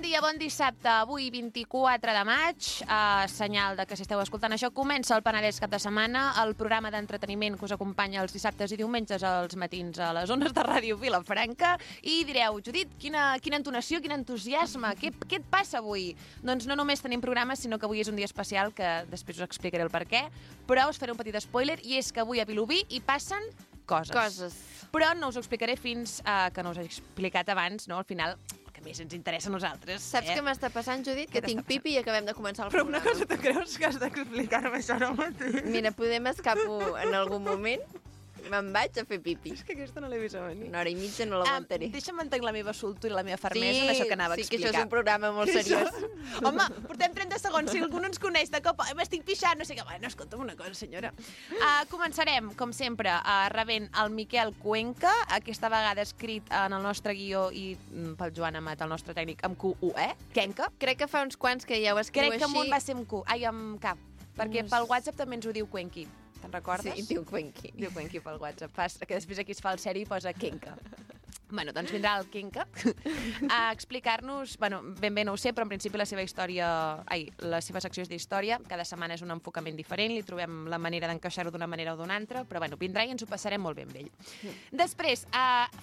dia, bon dissabte. Avui, 24 de maig, senyal de que si esteu escoltant això, comença el Penedès cap de setmana, el programa d'entreteniment que us acompanya els dissabtes i diumenges als matins a les ones de Ràdio Vilafranca. I direu, Judit, quina entonació, quin entusiasme, què et passa avui? Doncs no només tenim programes, sinó que avui és un dia especial, que després us explicaré el per què, però us faré un petit spoiler, i és que avui a Vilobí hi passen coses. Però no us ho explicaré fins que no us he explicat abans, no? Al final, el que més ens interessa a nosaltres. Saps què m'està passant, Judit? Que tinc pipi i acabem de començar el Però programa. una cosa, tu creus que has d'explicar-me això ara mateix? Mira, podem escapo en algun moment? Me'n vaig a fer pipi. És que aquesta no l'he vist a venir. Una hora i mitja no l'aguantaré. Deixa'm mantenir la meva soltura i la meva fermesa en això que anava a explicar. Sí, que això és un programa molt seriós. Home, portem 30 segons. Si algú no ens coneix de cop, m'estic pixant, no sé què. Bueno, escolta'm una cosa, senyora. Començarem, com sempre, rebent el Miquel Cuenca, aquesta vegada escrit en el nostre guió i pel Joan Amat, el nostre tècnic, amb Q-U-E, Kenca. Crec que fa uns quants que ja ho escriu així. Crec que amunt va ser amb Q, amb K, perquè pel WhatsApp també ens ho diu Cuenqui. Te'n recordes? Sí, diu Cuenqui. Diu Cuenqui pel WhatsApp. Que després aquí es fa el seri i posa Kenca. Bueno, doncs vindrà el Kenca a explicar-nos, bueno, ben bé no ho sé, però en principi la seva secció és d'història, cada setmana és un enfocament diferent, li trobem la manera d'encaixar-ho d'una manera o d'una altra, però bueno, vindrà i ens ho passarem molt ben amb ell. Després,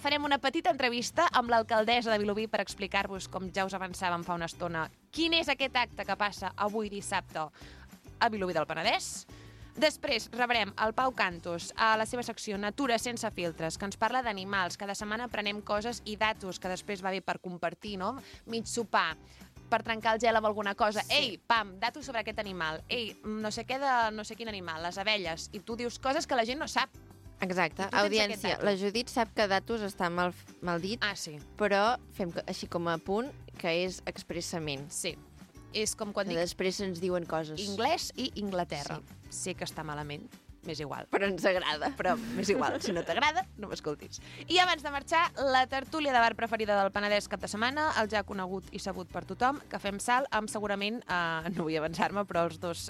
farem una petita entrevista amb l'alcaldessa de Vilobí per explicar-vos, com ja us avançàvem fa una estona, quin és aquest acte que passa avui dissabte a Vilobí del Penedès. Després rebrem el Pau Cantos a la seva secció Natura sense filtres, que ens parla d'animals. Cada setmana aprenem coses i datos que després va bé per compartir, no? Mig sopar, per trencar el gel amb alguna cosa. Sí. Ei, pam, datos sobre aquest animal. Ei, no sé què de no sé quin animal, les abelles. I tu dius coses que la gent no sap. Exacte. Audiència, la Judit sap que datos està mal dit, sí. Però fem així com a punt que és expressament. Sí. És com quan dic... Després ens diuen coses. Anglès i Inglaterra. Sí. Sé que està malament, m'és igual. Però ens agrada. Però m'és igual, si no t'agrada, no m'escoltis. I abans de marxar, la tertúlia de bar preferida del Penedès cap de setmana, el ja conegut i sabut per tothom, que fem salt amb segurament, no vull avançar-me, però els dos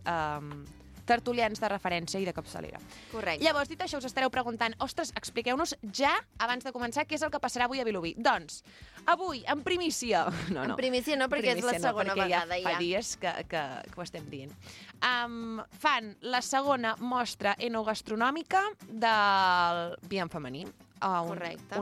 tertulians de referència i de capçalera. Correcte. Llavors, dit això, us estareu preguntant, ostres, expliqueu-nos ja, abans de començar, què és el que passarà avui a Vilobí. Doncs, avui, en primícia... No. En primícia no, perquè és la segona vegada ja. Fa dies que ho estem dient. Fan la segona mostra enogastronòmica del vi en femení. Correcte.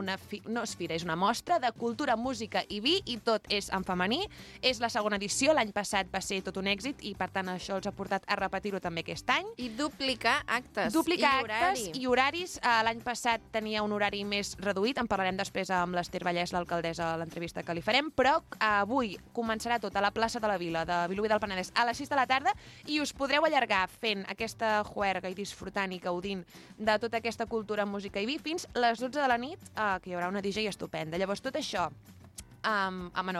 No és fira, és una mostra de cultura, música i vi, i tot és en femení. És la segona edició, l'any passat va ser tot un èxit i per tant això els ha portat a repetir-ho també aquest any. I duplicar actes. Actes i horaris. L'any passat tenia un horari més reduït, en parlarem després amb l'Ester Vallès, l'alcaldessa, a l'entrevista que li farem, però avui començarà tot a la plaça de la Vila de Vilobí del Penedès a les 6 de la tarda i us podreu allargar fent aquesta juerga i disfrutant i gaudint de tota aquesta cultura, música i vi fins les 12 de la nit, que hi haurà una DJ estupenda. Llavors, tot això, a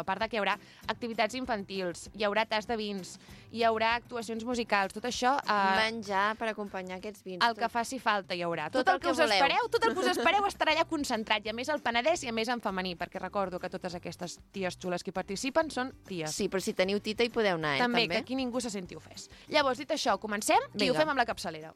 part de que hi haurà activitats infantils, hi haurà tas de vins, hi haurà actuacions musicals, tot això... menjar per acompanyar aquests vins. El que faci falta hi haurà. Tot el que us espereu estarà allà concentrat, i a més al Penedès i a més en femení, perquè recordo que totes aquestes ties xules que hi participen són ties. Sí, però si teniu tita hi podeu anar, també. Que aquí ningú se senti ofès. Llavors, dit això, comencem i ho fem amb la capçalera.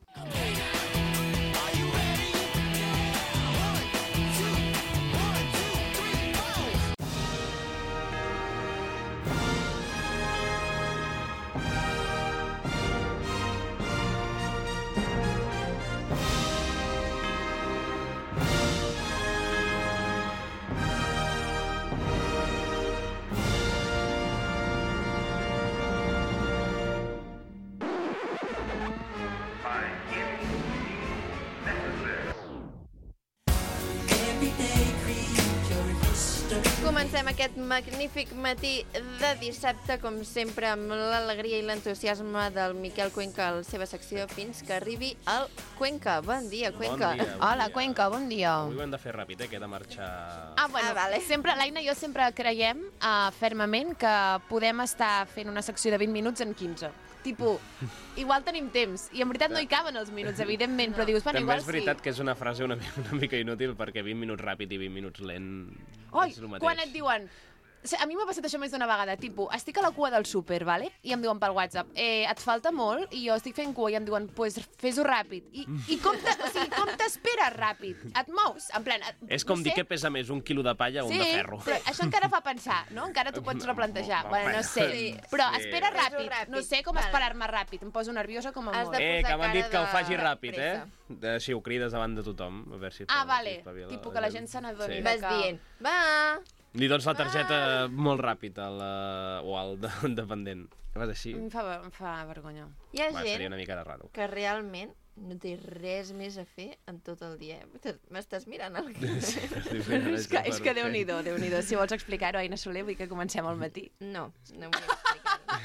Comencem aquest magnífic matí de dissabte, com sempre, amb l'alegria i l'entusiasme del Miquel Cuenca a la seva secció, fins que arribi el Cuenca. Bon dia, Cuenca. Bon dia. Hola, Cuenca, bon dia. Avui ho hem de fer ràpid, que he de marxar... Vale. L'Aina i jo sempre creiem fermament que podem estar fent una secció de 20 minuts en 15. Tipo, igual tenim temps, i en veritat no hi caben els minuts, evidentment, però dius, bueno, També igual és veritat que és una frase una mica inútil, perquè 20 minuts ràpid i 20 minuts lent és el mateix. Quan et diuen A mi m'ha passat això més d'una vegada, tipus, estic a la cua del súper, vale? I em diuen pel WhatsApp, et falta molt? I jo estic fent cua i em diuen, pues fes-ho ràpid. I com t'esperes ràpid? Et mous? En plan, És com dir que pesa més un quilo de palla o un de ferro. Però això encara fa pensar, no? Encara t'ho pots replantejar. Bueno, no sé. Sí. Però Sí. espera Fes-ho ràpid. ràpid. No sé com Vale. esperar-me ràpid. Em poso nerviosa com a Has molt. de Que m'han dit que ho cara faci de ràpid, pressa. Si ho crides davant de tothom, a veure si... Vale. si espavila Tipo que la gent se n'adoni. Sí. Vas dient, va... Li dones la targeta molt ràpid o al dependent. Vas així? Em fa vergonya. Hi ha Seria gent una mica de raro. que realment no té res més a fer en tot el dia. M'estàs mirant el que... És que Déu-n'hi-do, Déu-n'hi-do. Si vols explicar-ho, Aina Soler, vull que comencem al matí. No, no vull explicar-ho.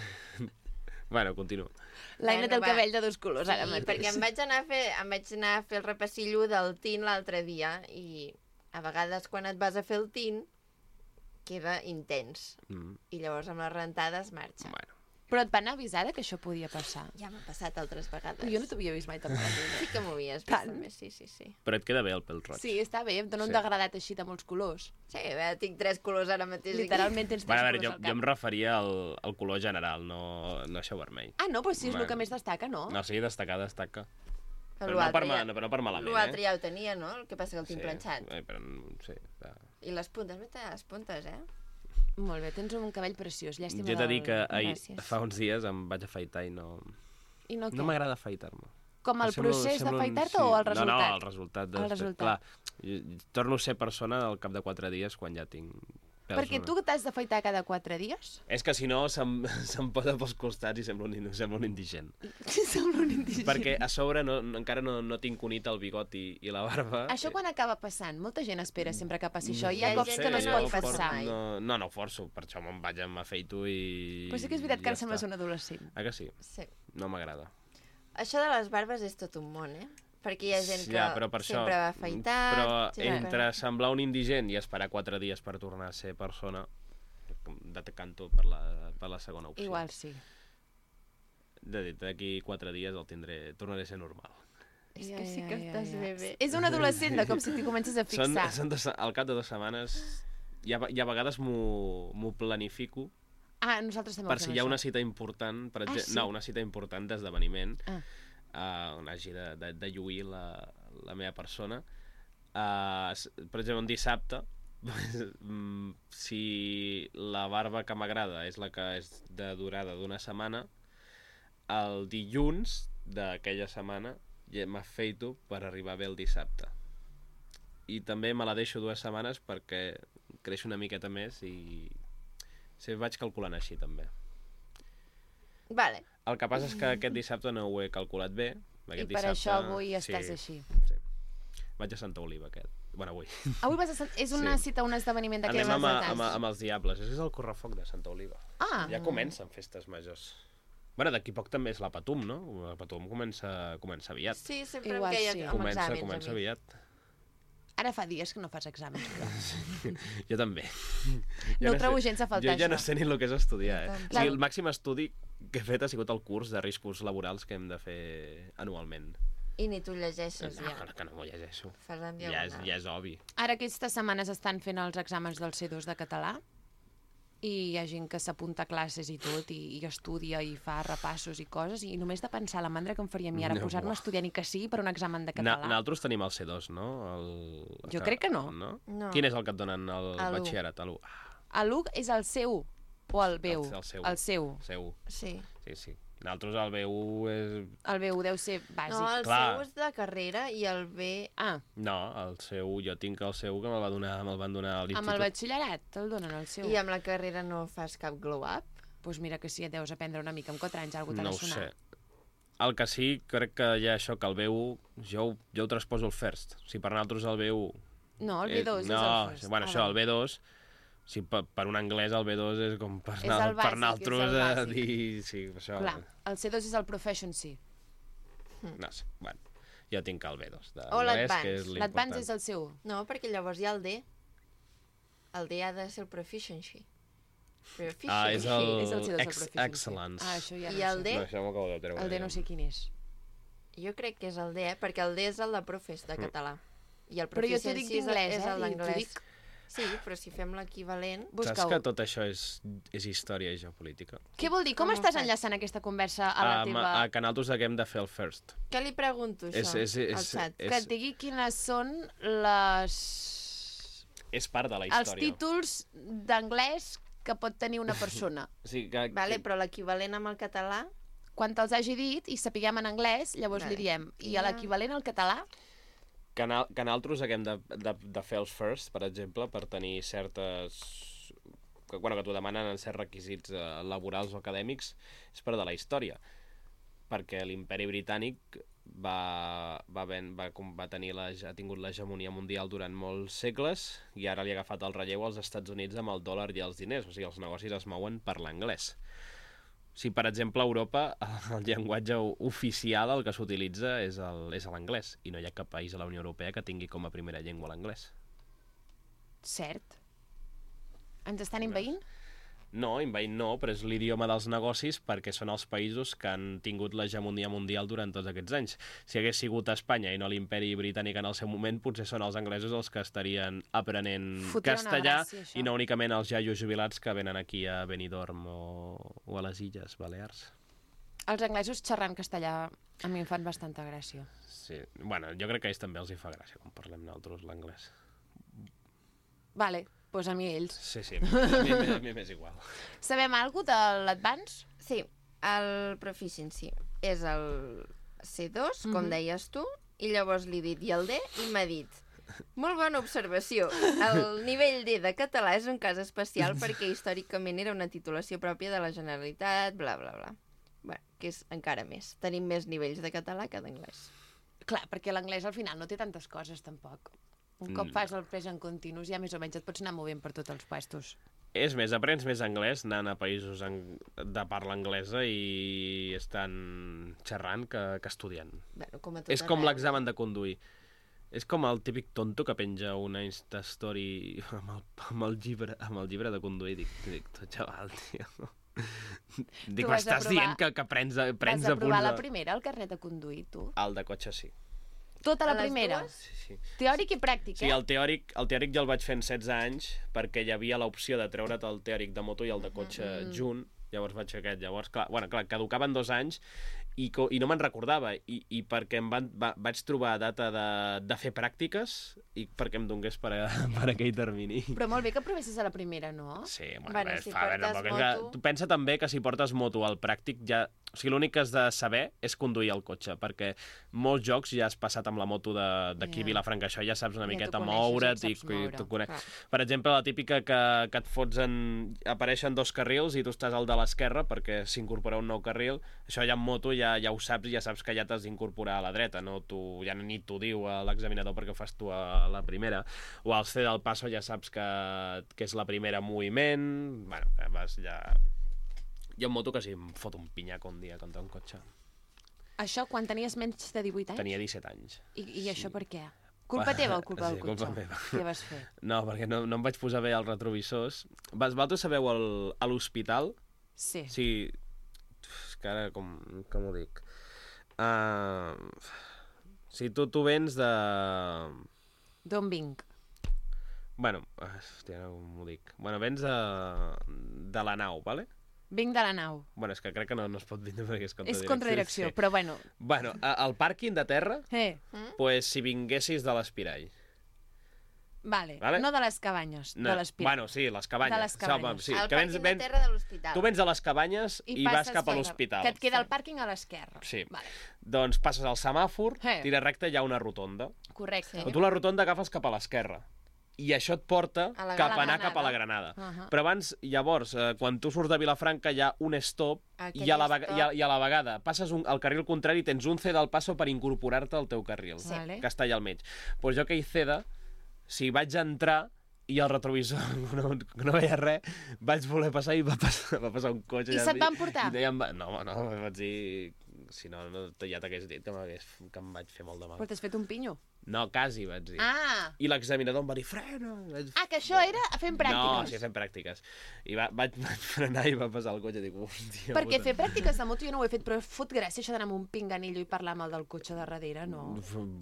Bueno, continuo. L'Aina té el va. cabell de dos colors ara Sí, mateix. perquè em vaig anar a fer el repassillo del tint l'altre dia i a vegades quan et vas a fer el tint queda intens i llavors amb les rentades marxa. Bueno. Però et van avisar que això podia passar? Ja m'ha passat altres vegades. Jo no t'havia vist mai tampoc. Sí que m'ho havies vist Tant. també, sí. Però et queda bé el pèl roig. Sí, està bé, em dona un Sí. degradat així de molts colors. Sí, a veure, tinc 3 colors ara mateix. Literalment tens Bueno, tres a veure, colors jo al em cap. referia al color general, no això vermell. Ah, no, però sí, és el Bueno. que més destaca, no? No, sí, destaca. Però L'altre no per malament, L'altre ja ho tenia, no? El que passa que el tinc planxat. Però sí. I les puntes, mira les puntes, Molt bé, tens un cabell preciós, llàstima Jo t'he dit que Gràcies. fa uns dies em vaig afaitar i no I no què? m'agrada afaitar-me. Com el procés d'afaitar-te o el resultat? No, el resultat. El resultat. Clar, jo torno a ser persona al cap de 4 dies quan ja tinc pèls. Perquè tu t'has d'afaitar cada 4 dies? És que si no se'm posa pels costats i sembla un indigent. Sembla un indigent. Perquè a sobre encara no tinc unit el bigot i la barba. Això quan acaba passant? Molta gent espera sempre que passi això. Hi Hi ha ha cops gent que no es que pot no ho força passar. mai. No ho forço, per això me'n vaig, m'afeito i... Però sí que és veritat que ara ja sembles està. un adolescent. Ah, que sí? Sí. No m'agrada. Això de les barbes és tot un món, Perquè hi ha gent que Ja, però per sempre això, va afaitat... Però sempre- entre semblar un indigent i esperar 4 dies per tornar a ser persona, decanto per la segona opció. Igual sí. D'aquí 4 dies tornaré a ser normal. És que sí que estàs bé. És un adolescent de com si t'hi comences a fixar. Al cap de 2 setmanes, i a vegades m'ho planifico Ah, nosaltres també per ho si fem, hi ha això. una cita important, per exemple, sí? no, una cita important d'esdeveniment, Ah. on hagi de lluir la meva persona. Per exemple, un dissabte, si la barba que m'agrada és la que és de durada d'una setmana, el dilluns d'aquella setmana ja m'afeito per arribar bé el dissabte. I també me la deixo 2 setmanes perquè creix una miqueta més i vaig calculant així també. Vale. El que passa és que aquest dissabte no ho he calculat bé. I per això avui estàs així. Sí. Vaig a Santa Oliva avui. Avui vas a... És una Sí. cita, un esdeveniment d'aquelles Anem dates. amb els Diables. És el correfoc de Santa Oliva. Ah. Ja comencen festes majors. Bueno, d'aquí poc també és la Patum, no? La Patum comença aviat. Sí, sempre Igual em queia sí. amb exàmens. Comença a mi. aviat. Ara fa dies que no fas exàmens. Però... Jo també. No ho trobo gens a faltar, Jo ja no això. sé ni el que és estudiar, Jo O sigui, el màxim estudi que he fet ha sigut el curs de riscos laborals que hem de fer anualment. I ni tu llegeixes, No, ja. que no m'ho llegeixo. Fas en Ja diagonal. és obvi. Ara aquestes setmanes estan fent els exàmens del C2 de català i hi ha gent que s'apunta a classes i tot i estudia i fa repassos i coses i només de pensar la mandra que em faria a mi ara No, posar-me a buah. estudiar ni que sigui per un examen de català. Nosaltres tenim el C2, no? Jo crec que no. No. Quin és el que et donen al A l'u. batxillerat? A l'1. L'1 és el seu o el B1? El seu. El seu. Seu. Sí. Sí. Nosaltres el B1 és... El B1 deu ser bàsic. No, el Clar. seu és de carrera i el B... Ah, No, el seu, jo tinc el seu que me'l van donar a l'institut. amb el batxillerat te'l donen el seu. I amb la carrera no fas cap glow-up? Doncs mira que sí, et deus aprendre una mica. Amb 4 anys alguna No cosa ho t'ha de sé. sonar. El que sí, crec que hi ha això, que el B1, jo ho transposo al first. Si per nosaltres el B1... No, el B2 és el no, first. bueno, això, el B2, si per un anglès el B2 és com per, És el bàsic, nosaltres és el bàsic. dir... Sí, això... Clar, el C2 és el Proficiency. No sé, bueno. Jo tinc el B2 O d'anglès, l'advanced. que és l'important. L'Advance és el seu. No, perquè llavors hi ha el D. El D ha de ser el proficiency. Ah, és el... És el C2 el Proficiency. Excellence. Ah, això ja I no el sé. D? No, això m'ho acabo de treure. El D no sé quin és. Jo crec que és el D, perquè el D és el de profes de català. I el Però jo t'ho dic proficiency d'inglès, és el i t'ho d'anglès. dic Sí, però si fem l'equivalent... Saps Busca-ho. que tot això és història i geopolítica? Què vol dir? Com Com ho estàs faig? enllaçant aquesta conversa a la teva... A que nosaltres haguem de fer el first. Què li pregunto, això, al xat? Que et digui quines són les... És part de la els història. títols d'anglès que pot tenir una persona. O sigui, que, Vale, però l'equivalent amb el català... Quan te'ls hagi dit i sapiguem en anglès, llavors Vale. li diem. I Ja. l'equivalent al català? que nosaltres haguem de fer els first, per exemple, per tenir certes... que t'ho demanen en certs requisits laborals o acadèmics, és part de la història. Perquè l'imperi britànic ha tingut l'hegemonia mundial durant molts segles i ara li ha agafat el relleu als Estats Units amb el dòlar i els diners, o sigui, els negocis es mouen per l'anglès. Si, per exemple, a Europa el llenguatge oficial, el que s'utilitza és l'anglès, i no hi ha cap país a la Unió Europea que tingui com a primera llengua l'anglès. Cert. Ens estan envaint? No, envaint no, però és l'idioma dels negocis perquè són els països que han tingut l'hegemonia mundial durant tots aquests anys. Si hagués sigut Espanya i no l'imperi britànic en el seu moment, potser són els anglesos els que estarien aprenent Fotria una castellà gràcia, això. i no únicament els jaios jubilats que venen aquí a Benidorm o a les Illes Balears. Els anglesos xerrant castellà a mi em fan bastanta gràcia. Sí. Bueno, jo crec que a ells també els hi fa gràcia quan parlem nosaltres l'anglès. Vale, doncs a mi ells. Sí, a mi m'és igual. Sabem alguna de l'Advance? Sí, el Proficiency és el C2, com deies tu, i llavors li he dit, i el D, i m'ha dit, molt bona observació, el nivell D de català és un cas especial perquè històricament era una titulació pròpia de la Generalitat, bla, bla, bla. Bé, que és encara més. Tenim més nivells de català que d'anglès. Clar, perquè l'anglès al final no té tantes coses, tampoc. Un cop fas el present continus ja més o menys et pots anar movent per tots els puestos. És més, aprens més anglès anant a països de parla anglesa i estan xerrant que estudiant. Bueno, com a tot És com arreu. l'examen de conduir. És com el típic tonto que penja una Instastory amb el llibre de conduir. Dic tu, xaval, tio. Dic, vas m'estàs aprovar- dient que prens Vas apunts aprovar la primera, el carnet de conduir, tu? El de cotxe sí. Tota la A les primera? dues? Sí. Teòric i pràctic, Sí, el teòric ja el vaig fer en 16 anys perquè hi havia l'opció de treure't el teòric de moto i el de cotxe junt. Llavors vaig fer aquest. Llavors, clar, caducaven 2 anys i no me'n recordava. I perquè vaig trobar data de fer pràctiques i perquè em donés per aquell termini. Però molt bé que provessis a la primera, no? Sí, Bueno, si portes moto- tu pensa també que si portes moto al pràctic ja... O sigui, l'únic que has de saber és conduir el cotxe, perquè molts jocs ja has passat amb la moto d'aquí a Ja. Vilafranca, això ja saps una Ja miqueta t'ho coneixes, moure't ja et i saps moure. t'ho conec. Clar. Per exemple, la típica que et fots apareixen 2 carrils i tu estàs al de l'esquerra perquè s'incorpora un nou carril, això ja en moto ja ho saps i ja saps que ja t'has d'incorporar a la dreta, no? Ja ni t'ho diu l'examinador perquè ho fas tu a la primera. O al C del passo ja saps que és la primera en moviment. Bueno, vas ja... Jo en moto quasi em foto un pinyaco un dia contra un cotxe. Això quan tenies menys de 18 anys? Tenia 17 anys. I això per què? Culpa teva o culpa del Sí, cotxe? culpa meva. Què vas fer? No, perquè no em vaig posar bé els retrovisors. Vosaltres sabeu a l'hospital? Sí. Sí. És que ara, com ho dic? Si tu vens de... D'on vinc? Bueno, hòstia, no m'ho dic. Bueno, vens de la nau, vale? Vinc de la nau. Bueno, és que crec que no es pot vindre perquè és És contradirecció. contradirecció, però bueno. Bueno, al pàrquing de terra, Pues... si vinguessis de l'Espirall. Vale. Vale. No de les cabanyes, No, de l'Espirall. bueno, sí, les cabanyes. De les cabanyes. Sí, El que pàrquing de terra de l'hospital. Tu vens a les cabanyes i vas passes cap a per- l'hospital. Que et queda el pàrquing a l'esquerra. Sí. Vale. Doncs passes al semàfor, Eh. tira recte, hi ha una rotonda. Correcte. Però tu la rotonda agafes cap a l'esquerra. I això et porta A la cap a Granada. anar cap a la Granada. Uh-huh. Però abans, llavors, quan tu surts de Vilafranca hi ha un stop Aquell i a la, stop. i a la vegada passes al carril contrari i tens un C del passo per incorporar-te al teu carril, Sí. Vale. que està allà al mig. Doncs jo que hi ceda, si vaig entrar i el retrovisor no veia res, vaig voler passar i va passar un cotxe. I se't van portar? No, vaig dir... Si no, ja t'hagués dit que em vaig fer molt de mal. Però t'has fet un pinyo. No, quasi, vaig dir. Ah! I l'examinador em va dir, frena! Que això era fent pràctiques. No, sí, fent pràctiques. I vaig frenar i va passar el cotxe i dic, hòstia... Perquè fer pràctiques de moto jo no ho he fet, però fot gràcia això d'anar amb un pinganillo i parlar amb el del cotxe de darrere, no?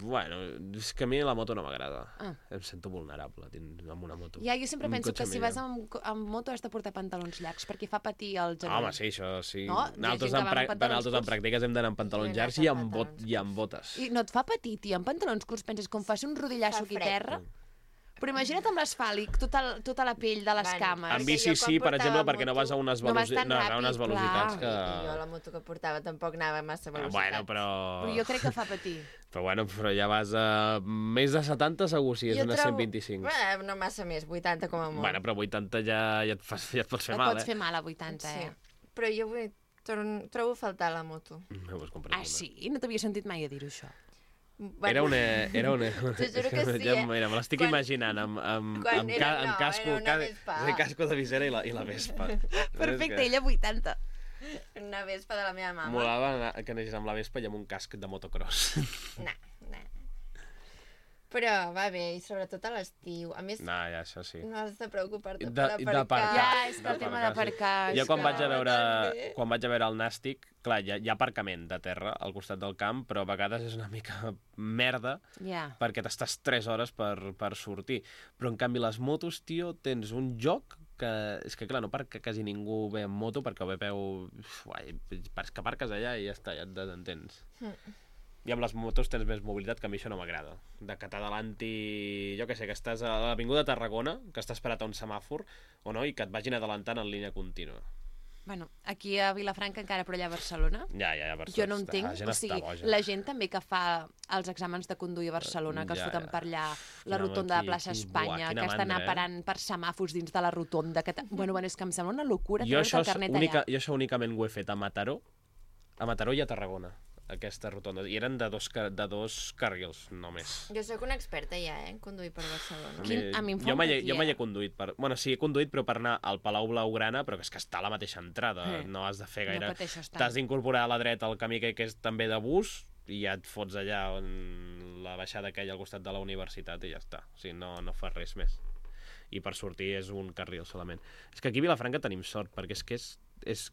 Bueno, és que a mi la moto no m'agrada. Em sento vulnerable amb una moto. Ja, jo sempre penso que si vas amb moto has de portar pantalons llargs, perquè fa patir el genoll. Home, sí, això sí. No? Nosaltres en pràctiques hem d'anar amb pantalons llargs i amb botes. I no et fa patir, tia, amb pantalons curts penses com fas un rodillasso aquí a terra? Però imagina't amb l'asfàlic, tota la pell de les cames. En bici sí, per exemple, perquè no vas a unes velocitats que... I jo la moto que portava tampoc anava a massa velocitat. Bueno, però jo crec que fa patir. Però ja vas a més de 70 segur, si és unes 125. No massa més, 80 com a molt. Bueno, però 80 ja et pots fer mal, Et pots fer mal a 80, Però jo trobo a faltar la moto. Sí? No t'havia sentit mai a dir-ho, això. Era una... T'ho juro que sí, me l'estic imaginant amb casco de visera i la Vespa. Perfecte, ella 80. Una Vespa de la meva mama. Molava que anés amb la Vespa i amb un casc de motocross. No. Però va bé, i sobretot a l'estiu. A més, ja, això sí. No has de preocupar-te per aparcar. Ja, és que el tema d'aparcar... Jo quan vaig a veure el Nàstic, clar, hi ha aparcament de terra al costat del camp, però a vegades és una mica merda perquè t'estàs 3 hores per sortir. Però en canvi les motos, tio, tens un joc que és que clar, no perquè quasi ningú ve amb moto perquè ho veu... que aparques allà i ja està, ja et desentens. I amb les motos tens més mobilitat, que a mi això no m'agrada. De que t'adalanti... Jo què sé, que estàs a l'avinguda de Tarragona, que estàs parat a un semàfor, o no, i que et vagin adelantant en línia contínua. Bueno, aquí a Vilafranca encara, però allà a Barcelona... Ja, a Barcelona. Jo no entenc, o sigui, la gent també que fa els exàmens de conduir a Barcelona, que es foten per allà, la rotonda de Plaça Espanya, que has d'anar parant per semàfors dins de la rotonda... Bueno, és que em sembla una locura treure-te el carnet allà. Jo això únicament ho he fet a Mataró i a Tarragona, aquesta rotonda, i eren de dos carrils només. Jo sóc una experta ja, en conduir per Barcelona. Jo mai he conduït Bueno, sí, he conduït, però per anar al Palau Blaugrana, però que és que està a la mateixa entrada, no has de fer gaire... T'has d'incorporar a la dreta el camí que és també de bus, i ja et fots allà on la baixada aquella al costat de la universitat i ja està. O sigui, no fas res més. I per sortir és un carril solament. És que aquí a Vilafranca tenim sort, perquè és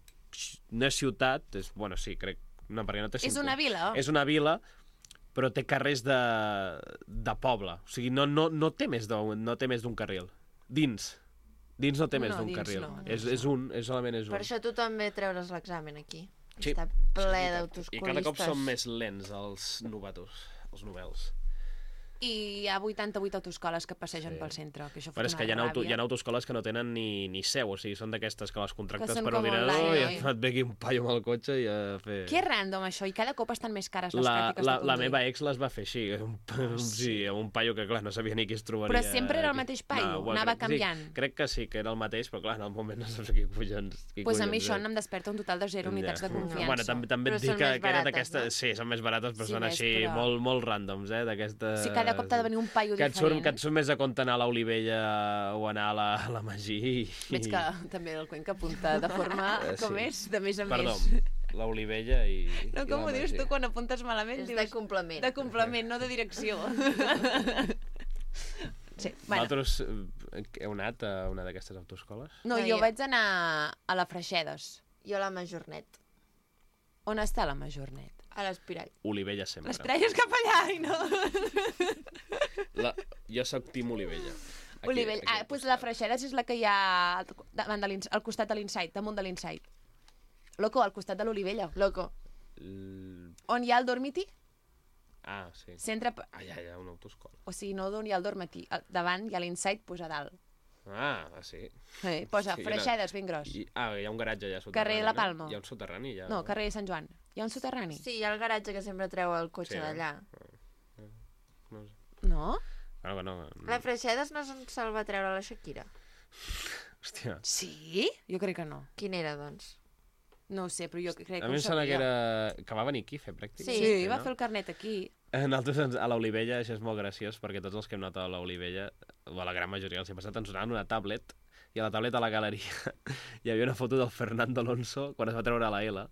no és ciutat, bueno, sí, crec. No, perquè no té és una vila? És una vila, però té carrers de poble. O sigui, no té més d'un carril. Dins no té més d'un carril. Solament és un. Per això tu també treure's l'examen aquí. Sí. Està ple d'autoscolistes. I cada cop són més lents els novatos, els novels. I hi ha 88 autoescoles que passegen pel centre. Que això però és que hi ha autoescoles que no tenen ni seu, o sigui, són d'aquestes que les contractes per ordinador i et ve aquí un paio amb el cotxe i a fer... Que random, això, i cada cop estan més cares les pràctiques de conduir. La meva ex les va fer així, un paio que, clar, no sabia ni qui es trobaria. Però sempre era el mateix paio, anava canviant. Sí, crec que sí, que era el mateix, però clar, en el moment no saps qui collons... Doncs a mi això em desperta un total de 0 unitats de confiança. Bueno, també et dic que era d'aquestes... Sí, són més barates, però són així molt ràndoms, d'aquestes... Sí, cada cop t'ha de venir un paio diferent. Que et surt més a compte anar a l'Olivella o anar a la Magí. Veig que també el Cuenca apunta de forma, com és, de més a més. Perdó, l'Olivella i... No, com ho dius tu quan apuntes malament? És de complement. De complement, no de direcció. Sí, bueno. Vosaltres heu anat a una d'aquestes autoescoles? No, jo vaig anar a la Freixedes. Jo a la Majornet. On està la Majornet? A l'Espirall. Olivella sempre. L'Espirall és cap allà, i no... Jo soc Tim Olivella. Olivella. Doncs la Freixedes és la que hi ha al costat de l'Insight, damunt de l'Insight. Loco, al costat de l'Olivella. Loco. On hi ha el Dormiti? Ah, sí. Centre... Allà hi ha una autoescola. O sigui, no d'on hi ha el Dormiti. Davant hi ha l'Insight, posa a dalt. Sí. Posa Freixedes, ben gros. Hi ha un garatge allà soterrani. Carrer La Palma. Hi ha un soterrani allà. No, carrer Sant Joan. Hi ha un soterrani? Sí, hi ha el garatge que sempre treu el cotxe d'allà. No? No. La Freixedes no se'l va treure la Shakira? Hòstia. Sí? Jo crec que no. Quin era, doncs? No ho sé, però jo crec que a mi em sembla que va venir aquí a fer pràctica. Sí, va fer el carnet aquí. Nosaltres a l'Olivella, això és molt graciós, perquè tots els que hem anat a l'Olivella, o a la gran majoria, els hem passat, ens donaven una tablet, i a la tablet a la galeria hi havia una foto del Fernando Alonso quan es va treure la L,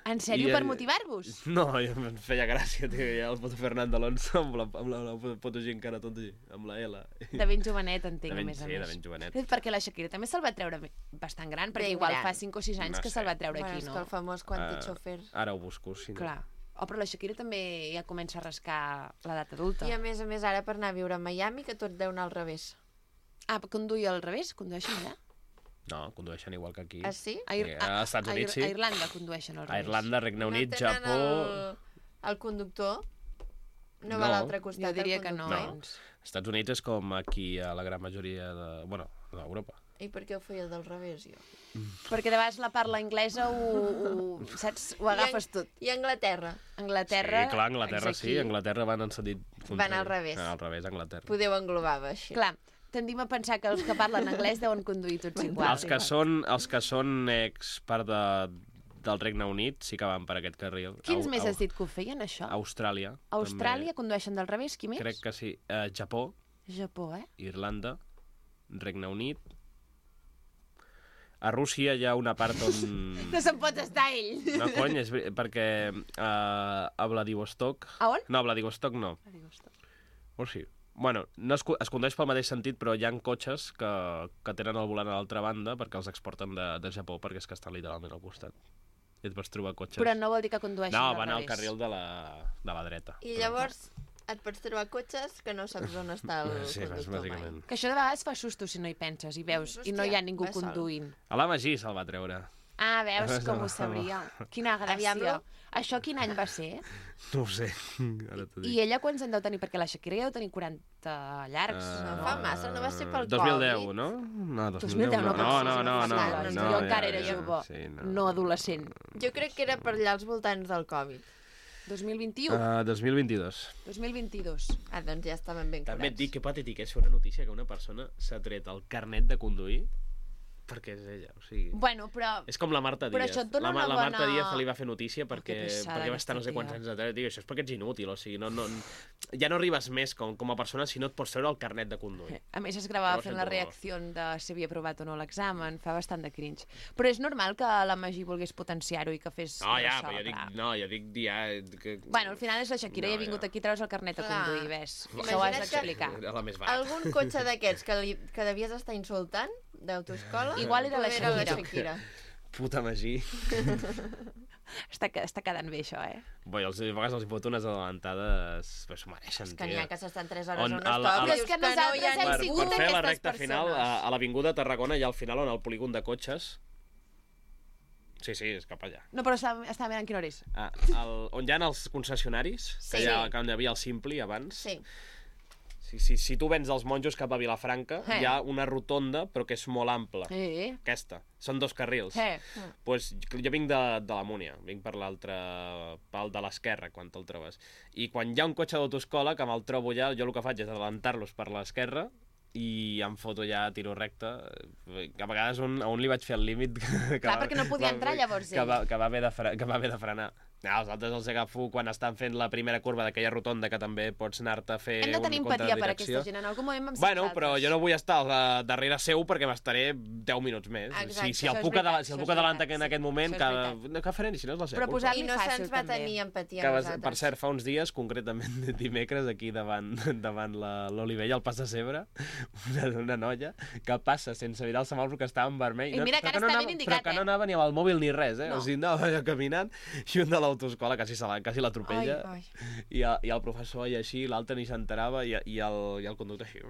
En sèrio, per motivar-vos? No, em feia gràcia, tio, ja el foto Fernando Alonso amb la foto encara tot així, amb la L. De ben jovenet, entenc, a més a més. Sí, de ben jovenet. Perquè la Shakira també se'l va treure bastant gran, perquè Ben igual gran. fa 5 o 6 anys que se'l va treure aquí, És no? que el famós Quantic Chofer. Ara ho busco, sí. Clar. Oh, però la Shakira també ja comença a rascar l'edat adulta. I a més, ara per anar a viure a Miami, que tot deu anar al revés. Ah, conduir al revés? Condueixen allà? No, condueixen igual que aquí. Ah, sí? Als Estats Units, sí. A Irlanda condueixen al A revés. Irlanda, Regne Unit, no tenen Japó... el conductor? No va a l'altre costat, Jo diria que no. No. Als Estats Units és com aquí a la gran majoria de... Bueno, d'Europa. I per què ho feia del revés, jo? Perquè de vegades la parla anglesa saps? Ho agafes tot. I Anglaterra? Anglaterra... Sí, clar, Anglaterra és aquí. sí. Anglaterra van en sentit contrari. Van al revés. Al revés, Anglaterra. Podeu englobar-ho així. Clar, tendim a pensar que els que parlen anglès deuen conduir tots igual. Els que són part del Regne Unit sí que van per aquest carril. Quins més has dit que ho feien, això? Austràlia. Austràlia condueixen del revés, qui més? Crec que sí. Japó, Japó, Irlanda, Regne Unit. A Rússia hi ha una part on... No se'n pot estar ell. No, cony, perquè a Vladivostok... A on? No, a Vladivostok no. O sí. Bueno, no es condueix pel mateix sentit, però hi ha cotxes que tenen el volant a l'altra banda perquè els exporten de Japó, perquè és que estan literalment al costat. I et pots trobar cotxes... Però no vol dir que condueixin No, al van al revés. carril de la dreta. I llavors et pots trobar cotxes que no saps on està el Sí, conductor bàsicament. Que això de vegades fa susto si no hi penses i veus, i no hi ha ningú va sol. conduint. A la Magí se'l va treure. Ah, veus com ho sabria. Quina gràcia. Aviam-lo. Això quin any va ser? No ho sé, ara t'ho dic. I ella quants en deu tenir? Perquè la Shakira ja deu tenir 40 llargs. No fa massa, no va ser pel 2010, Covid? no? No, 2010 no, no, jo encara era jove, sí, no adolescent. Jo crec que era per allà als voltants del Covid. 2021? 2022. 2022. Ah, doncs ja estaven ben curats. També et dic que patètic és fer una notícia que una persona s'ha tret el carnet de conduir perquè és ella, o sigui... Bueno, però... És com la Marta Però Díaz. això et dona La una Marta bona- Díaz li va fer notícia perquè que pesada va estar no sé quants aquesta anys de tele. Això és perquè ets inútil, o sigui, ja no arribes més com a persona si no et pots treure el carnet de conduir. A més, es gravava Llavors fent sento la dolor. reacció de si havia aprovat o no l'examen. Fa bastant de cringe. Però és normal que la Magí volgués potenciar-ho i que fes... No, ja, ressò, però jo dic... clar. No, jo dic ja... Que... Bueno, al final és la Shakira i ha vingut aquí a treure's el carnet de Clar. conduir, ves. Això ho has Imagina't d'explicar. Era la més barata. Algun cotxe d'aquests que devies estar insultant, d'autoescola, Igual era la Shakira. Puta Magí. Està quedant bé, això, eh? Bé, a vegades els hi fot unes adelantades... Però s'ho mereixen, Que n'hi ha que s'estan 3 hores On a un a la- stop a i la- dius És que que no hi ha nosaltres hem ningú. Per sigut fer la d'aquestes recta final, persones. a l'Avinguda de Tarragona hi ha al final on el polígon de cotxes... Sí, és cap allà. No, però estava mirant quina hora és. On hi ha els concessionaris, Sí. que hi havia el Simpli abans. Sí. Si tu vens dels monjos cap a Vilafranca, hi ha una rotonda, però que és molt ampla. Aquesta. Són 2 carrils. Pues, jo vinc de la Múnia, vinc per l'altre pal de l'esquerra, quan te'l trobes. I quan hi ha un cotxe d'autoescola, que me'l trobo ja, jo el que faig és adelantar-los per l'esquerra i em foto ja a tiro recte. Que a vegades a un li vaig fer el límit... Clar, perquè no podia entrar llavors ell. Que va haver de frenar. Els altres els agafo quan estan fent la primera curva d'aquella rotonda que també pots anar-te a fer Hem de tenir un empatia per contradirecció. aquesta gent. En algun moment vam ser Bueno, però nosaltres. jo no vull estar darrere seu perquè m'estaré 10 minuts més. Exacte, Si el això és puc veritat, si el això puc és adelantar veritat, en aquest moment, això és veritat. que farem, si no és la seva Però culpa. posar-li I no fàcil, se'ns va també. tenir empatia Que a per nosaltres. cert, fa uns dies, concretament dimecres, aquí davant l'Olivella, al Pas de Cebre, una noia que passa sense mirar el semàfor que estava en vermell. I mira que ara està ben indicat, Però que no eh? anava ni amb el mòbil ni res, eh? No. O sigui, anava allà caminant i un de l'autoescola quasi l'atropella. Ai. I el professor i així, l'altre ni s'enterava i el conductor així.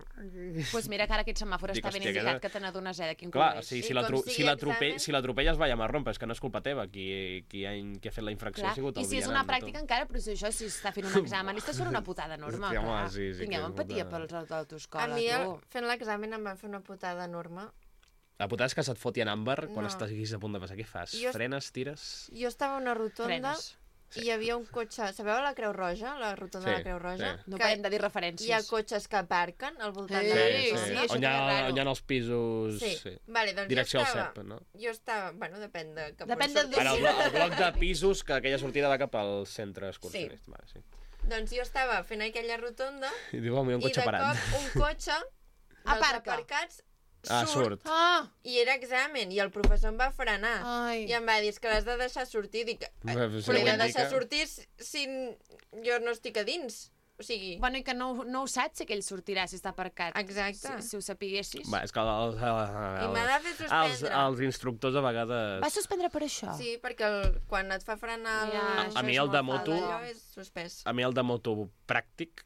Pues mira que ara aquest semàfor Dic, està ben hòstia, indicat que que te n'adones de quin Clar, color és. sí, I com sigui examen- si l'atropelles va a marrón, però és que no és culpa teva. Qui ha fet la infracció Clar. ha sigut I el si és vianant una de pràctica tot. encara, però si això si està fent un examen, estàs fent una putada enorme. Hòstia, home, clar. sí, sí que Tinguem és empatia putada. pels A d'autoescola, mi, tu. fent l'examen, em van fer una putada enorme. La putada és que se't foti en àmbar quan No. estàs a punt de passar. Què fas? Jo- Frenes, tires... Jo estava a una rotonda Frenes. i hi havia un cotxe... Sabeu la Creu Roja? La rotonda de la Creu Roja? sí. No Que parem de dir referències. hi ha cotxes que aparquen al voltant Sí, de la sí, rotonda. això On hi és raro. on hi ha els pisos... Sí. Vale, doncs Direcció al jo estava... CEP, no? Jo estava... Bueno, depèn de cap Depèn on del surtis. Ara, el bloc de pisos, que aquella sortida va cap al centre excursionista. Vale, sí. Doncs jo estava fent aquella rotonda I diu, home, hi ha un i cotxe de parat. cop un cotxe dels Aparca. aparcats surt. I era examen, i el professor em va frenar. Ai. I em va dir, és que l'has de deixar sortir. Dic, Però però he de deixar sortir si jo no estic a dins. O sigui... Bueno, i que no ho saps si aquell sortirà, si està aparcat. Exacte. Si ho sapiguessis. Va, és que I m'ha de fer suspendre. els instructors a vegades... Va suspendre per això? Sí, perquè quan et fa frenar A mi el de moto... allò és suspès. A mi el de moto pràctic,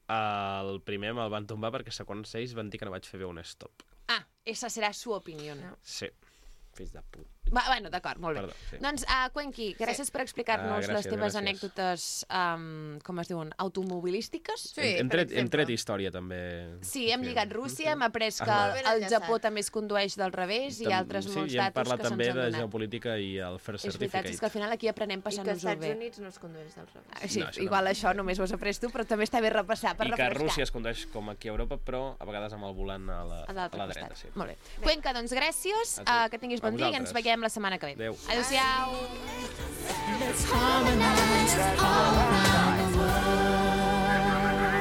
el primer me'l van tombar perquè segons ells van dir que no vaig fer bé un stop. Ah, esa serà su opinió. No. Sí, fills de puta. Bueno, d'acord, molt bé. Perdó, sí. Doncs, Cuenqui, gràcies per explicar-nos les teves anècdotes, com es diuen, automobilístiques. Sí, Hem tret història, també. Sí, hem lligat Rússia, hem après que Ben al enllaçat. Japó també es condueix del revés i altres molts Sí, i hem datos parlat que se'ns també han de donat. geopolítica i el First És veritat, és que Certificate. al final aquí aprenem I que als passant-nos-ho Estats bé. Units no es condueix del revés. Sí, No, això igual no. això només ho has après tu, però també està bé repassar per I que refrescar. Rússia es condueix com aquí a Europa, però a vegades amb el volant a la L'altre dreta. costat. Sí. Molt bé. Cuenca, doncs gràcies, A tu. que tinguis A bon dia i ens vosaltres. veiem la setmana que ve. Adéu. Adéu-siau. Let's harmonize all around the world.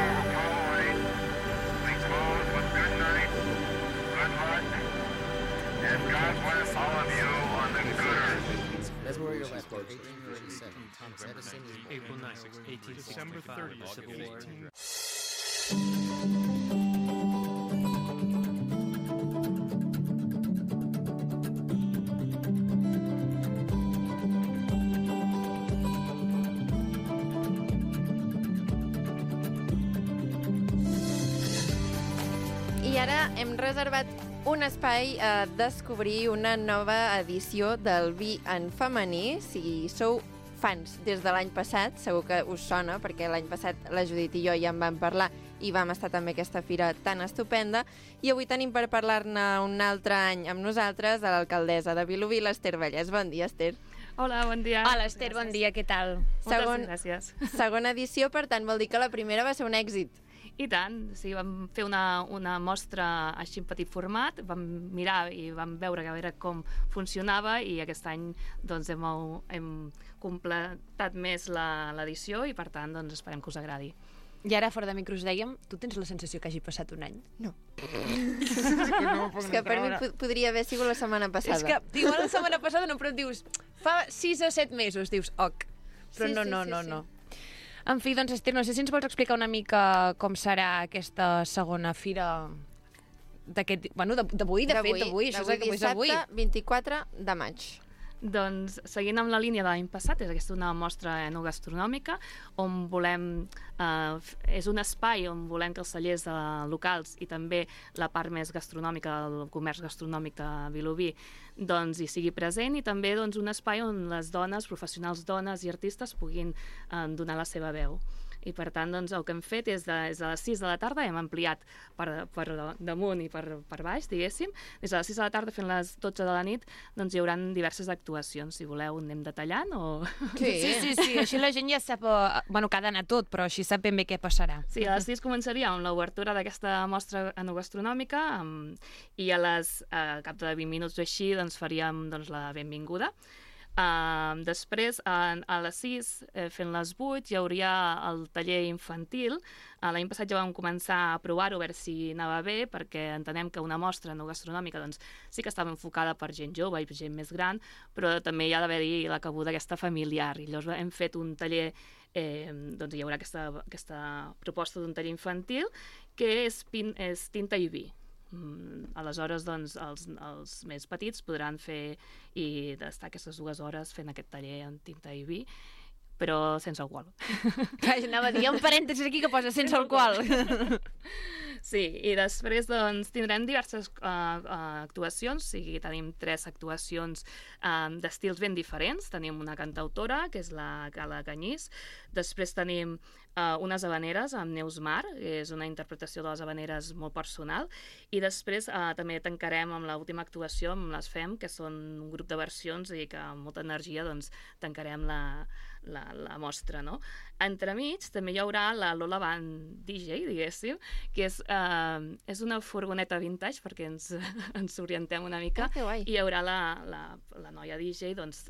That's where you're left. 1837. Thomas Edison is born. April 9th, 1865. December 30th, Civil War. I ara hem reservat un espai a descobrir una nova edició del vi en femení. Si sou fans des de l'any passat, segur que us sona, perquè l'any passat la Judit i jo ja en vam parlar i vam estar també a aquesta fira tan estupenda. I avui tenim per parlar-ne un altre any amb nosaltres a l'alcaldessa de Vilobí, l'Ester Vallès. Bon dia, Ester. Hola, bon dia. Hola, Esther, bon dia, què tal? Segon- Gràcies. Segona edició, per tant, vol dir que la primera va ser un èxit. I tant, sí, vam fer una mostra així en petit format, vam mirar i vam veure a veure com funcionava i aquest any doncs, hem completat més l'edició i per tant doncs, esperem que us agradi. I ara, fora de micros, dèiem, tu tens la sensació que hagi passat un any? No. És que per mi podria haver sigut la setmana passada. És que igual la setmana passada no, però et dius, fa 6 o 7 mesos, dius, ok. Però Sí, no. En fi, doncs, Esther, no sé si ens vols explicar una mica com serà aquesta segona fira d'aquest... Bueno, d'avui, de fet, d'avui. Això és avui. Dissabte, 24 de maig. Doncs, seguint amb la línia de l'any passat, és aquesta una mostra enogastronòmica on volem... és un espai on volem que els cellers locals i també la part més gastronòmica del comerç gastronòmic de Vilobí doncs, hi sigui present i també doncs, un espai on les dones, professionals dones i artistes puguin donar la seva veu. I per tant, doncs, el que hem fet és a les 6 de la tarda, hem ampliat per damunt i per baix, diguéssim. Des de les 6 de la tarda fins a les 12 de la nit doncs, hi haurà diverses actuacions. Si voleu, anem detallant o... Sí, així la gent ja sap... Bueno, que ha d'anar tot, però així sap ben bé què passarà. Sí, a les 6 començaria amb l'obertura d'aquesta mostra enogastronòmica i a cap de 20 minuts o així doncs, faríem doncs, la benvinguda. Després, a les 6, fent les 8, hi hauria el taller infantil. L'any passat ja vam començar a provar-ho, a veure si anava bé, perquè entenem que una mostra enogastronòmica doncs, sí que estava enfocada per gent jove i per gent més gran, però també hi ha d'haver-hi la cabuda aquesta familiar. I llavors hem fet un taller, doncs hi haurà aquesta proposta d'un taller infantil, que és tinta i vi. Aleshores, doncs, els més petits podran fer i estar aquestes 2 hores fent aquest taller en tinta i vi, però sense alcohol. Anava a dir, hi ha un parèntesis aquí que posa sense alcohol. Sí, i després doncs, tindrem diverses actuacions, o sigui, tenim 3 actuacions d'estils ben diferents. Tenim una cantautora, que és la Gala Canyís, després tenim unes habaneres amb Neus Mar, que és una interpretació de les habaneres molt personal, i després també tancarem amb l'última actuació amb les FEM, que són un grup de versions i que amb molta energia doncs, tancarem la mostra, no? Entremig també hi haurà la Lola Band DJ, diguéssim, que és una furgoneta vintage perquè ens orientem una mica, que guai. i hi haurà la noia DJ doncs,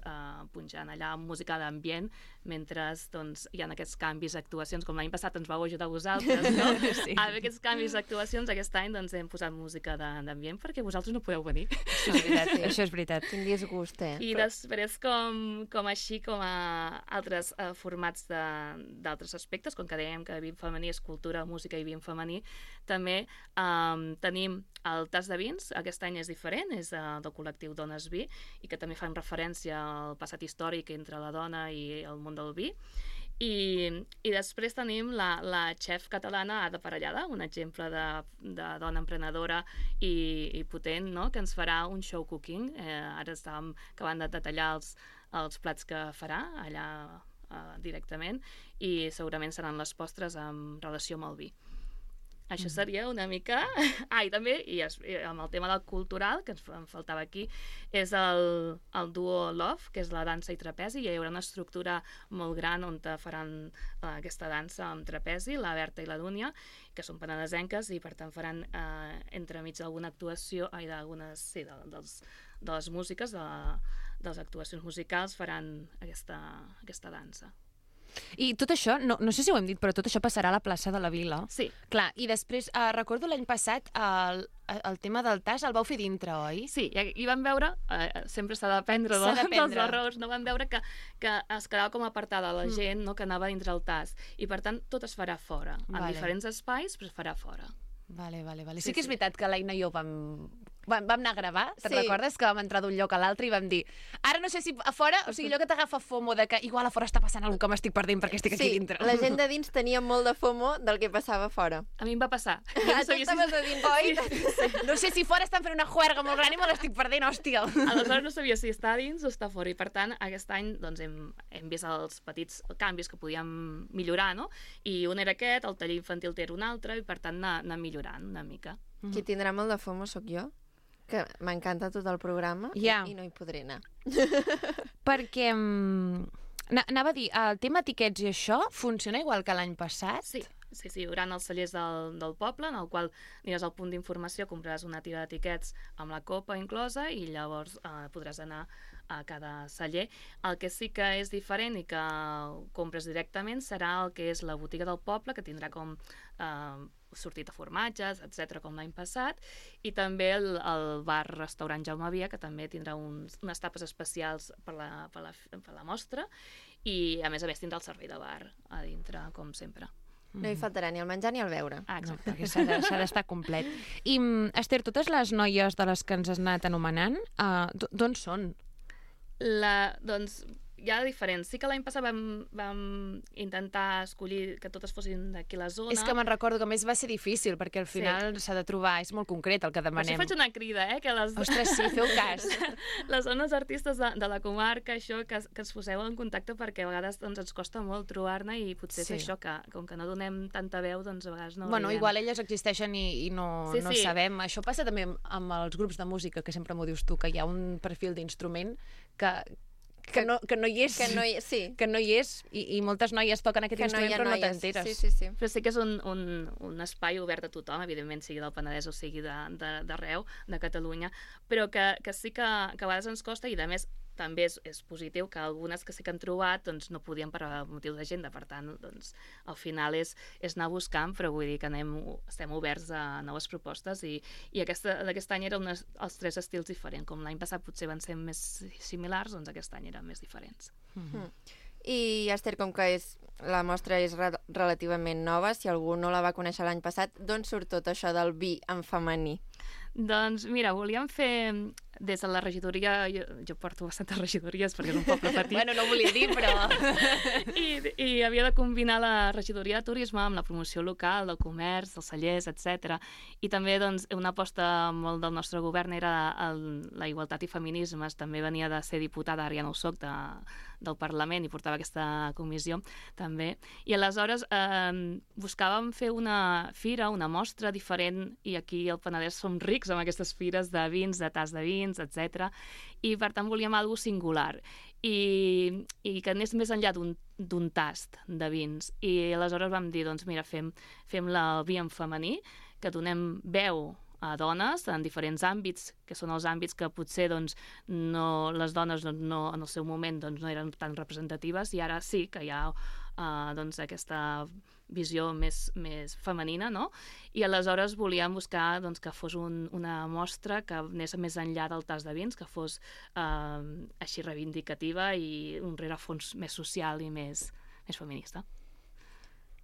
punxant allà música d'ambient mentre doncs, hi ha aquests canvis d'actuacions, com l'any passat ens vau ajudar vosaltres, no? Sí. A aquests canvis d'actuacions, aquest any doncs, hem posat música d'ambient perquè vosaltres no podeu venir. Això és veritat, això és veritat. Quin disgust, I després, com així, com a altres formats d'altres aspectes, com que dèiem que vin femení és cultura, música i vin femení, també tenim el tas de vins, aquest any és diferent, és del col·lectiu Dones Vi, i que també fan referència al passat històric entre la dona i el món del vi. I després tenim la xef catalana Ada Parellada, un exemple de dona emprenedora i potent, no? Que ens farà un show cooking. Ara estàvem acabant de detallar els plats que farà allà directament i segurament seran les postres en relació amb el vi. Això seria una mica... I també, amb el tema del cultural, que em faltava aquí, és el duo Love, que és la dansa i trapezi. Hi haurà una estructura molt gran on faran aquesta dansa amb trapezi, la Berta i la Dúnia, que són penedesenques i per tant faran entremig d'alguna actuació, de les músiques, de les actuacions musicals, faran aquesta dansa. I tot això, no sé si ho hem dit, però tot això passarà a la plaça de la Vila. Sí. Clar, i després, recordo l'any passat, el tema del tas el vau fer dintre, oi? Sí, i vam veure, sempre s'ha d'aprendre dels errors, no? Vam veure que es quedava com apartada la gent, no? Que anava dintre el tas, i per tant tot es farà fora, en diferents espais, però es farà fora. Vale. Sí que és veritat que l'Aina i jo vam anar a gravar, te'n recordes? Que vam entrar d'un lloc a l'altre i vam dir, ara no sé si a fora, o sigui, allò que t'agafa FOMO de que igual a fora està passant alguna cosa que m'estic perdent perquè estic aquí dintre. Sí, la gent de dins tenia molt de FOMO del que passava fora. A mi em va passar. Tu estaves de dins, oi? No sé si fora estan fent una juerga molt gran i me l'estic perdent, hòstia. Aleshores no sabia si està dins o està fora i per tant aquest any doncs, hem vist els petits canvis que podíem millorar, no? I un era aquest, el taller infantil era un altre i per tant anar millorant una mica. Qui tindrà molt de FOMO sóc jo, que m'encanta tot el programa i no hi podré anar. Perquè, anava a dir, el tema etiquets i això funciona igual que l'any passat? Sí, hi haurà els cellers del poble, en el qual aniràs al punt d'informació, compraràs una tira d'etiquets amb la copa inclosa i llavors podràs anar a cada celler. El que sí que és diferent i que compres directament serà el que és la botiga del poble, que tindrà com sortit de formatges, etc com l'any passat, i també el bar-restaurant Jaume Via, que també tindrà unes tapes especials per la mostra, i a més tindrà el servei de bar a dintre, com sempre. No hi faltarà ni el menjar ni el beure. Exacte, perquè s'ha d'estar complet. I, Esther, totes les noies de les que ens has anat anomenant, d'on són? Doncs hi ha diferents. Sí que l'any passat vam intentar escollir que totes fossin d'aquí la zona. És que me'n recordo que a més va ser difícil, perquè al final s'ha de trobar, és molt concret el que demanem. Per això faig una crida, que les... Ostres, sí, feu cas. Les zones artistes de la comarca, això, que es poseu en contacte perquè a vegades ens costa molt trobar-ne i potser és això, que com que no donem tanta veu, doncs a vegades no Bueno, igual elles existeixen i no sabem. Això passa també amb els grups de música, que sempre m'ho dius tu, que hi ha un perfil d'instrument que no hi és, i moltes noies toquen aquest instrument però no t'enteres. Sí. Però sí que és un espai obert a tothom, evidentment, sigui del Penedès o sigui d'arreu, de Catalunya, però que sí que a vegades ens costa i, a més, també és positiu que algunes que sí que han trobat doncs, no podien per motiu d'agenda, per tant, doncs, al final és anar buscant, però vull dir que estem oberts a noves propostes i d'aquest any eren els 3 estils diferents, com l'any passat potser van ser més similars, doncs aquest any eren més diferents. I Esther, com que la mostra és relativament nova, si algú no la va conèixer l'any passat, d'on surt tot això del vi en femení? Doncs mira, volíem fer des de la regidoria, jo porto bastantes regidories perquè és un poble petit. Bueno, no ho volia dir, però... I havia de combinar la regidoria de turisme amb la promoció local, del comerç, dels cellers, etc. I també doncs, una aposta molt del nostre govern era la igualtat i feminismes. També venia de ser diputada, ara ja no ho soc, del Parlament i portava aquesta comissió també. I aleshores buscàvem fer una fira, una mostra diferent, i aquí al Penedès som rics amb aquestes fires de vins, de tas de vins, etc. I per tant volíem alguna cosa singular i que anés més enllà d'un tast de vins. I aleshores vam dir, doncs mira, fem el vi en femení, que donem veu a dones en diferents àmbits, que són els àmbits que potser doncs, les dones no, en el seu moment doncs, no eren tan representatives, i ara sí que hi ha doncs, aquesta visió més femenina, no? I aleshores volíem buscar doncs, que fos una mostra que anés més enllà del tas de vins, que fos així reivindicativa i un rerefons més social i més feminista.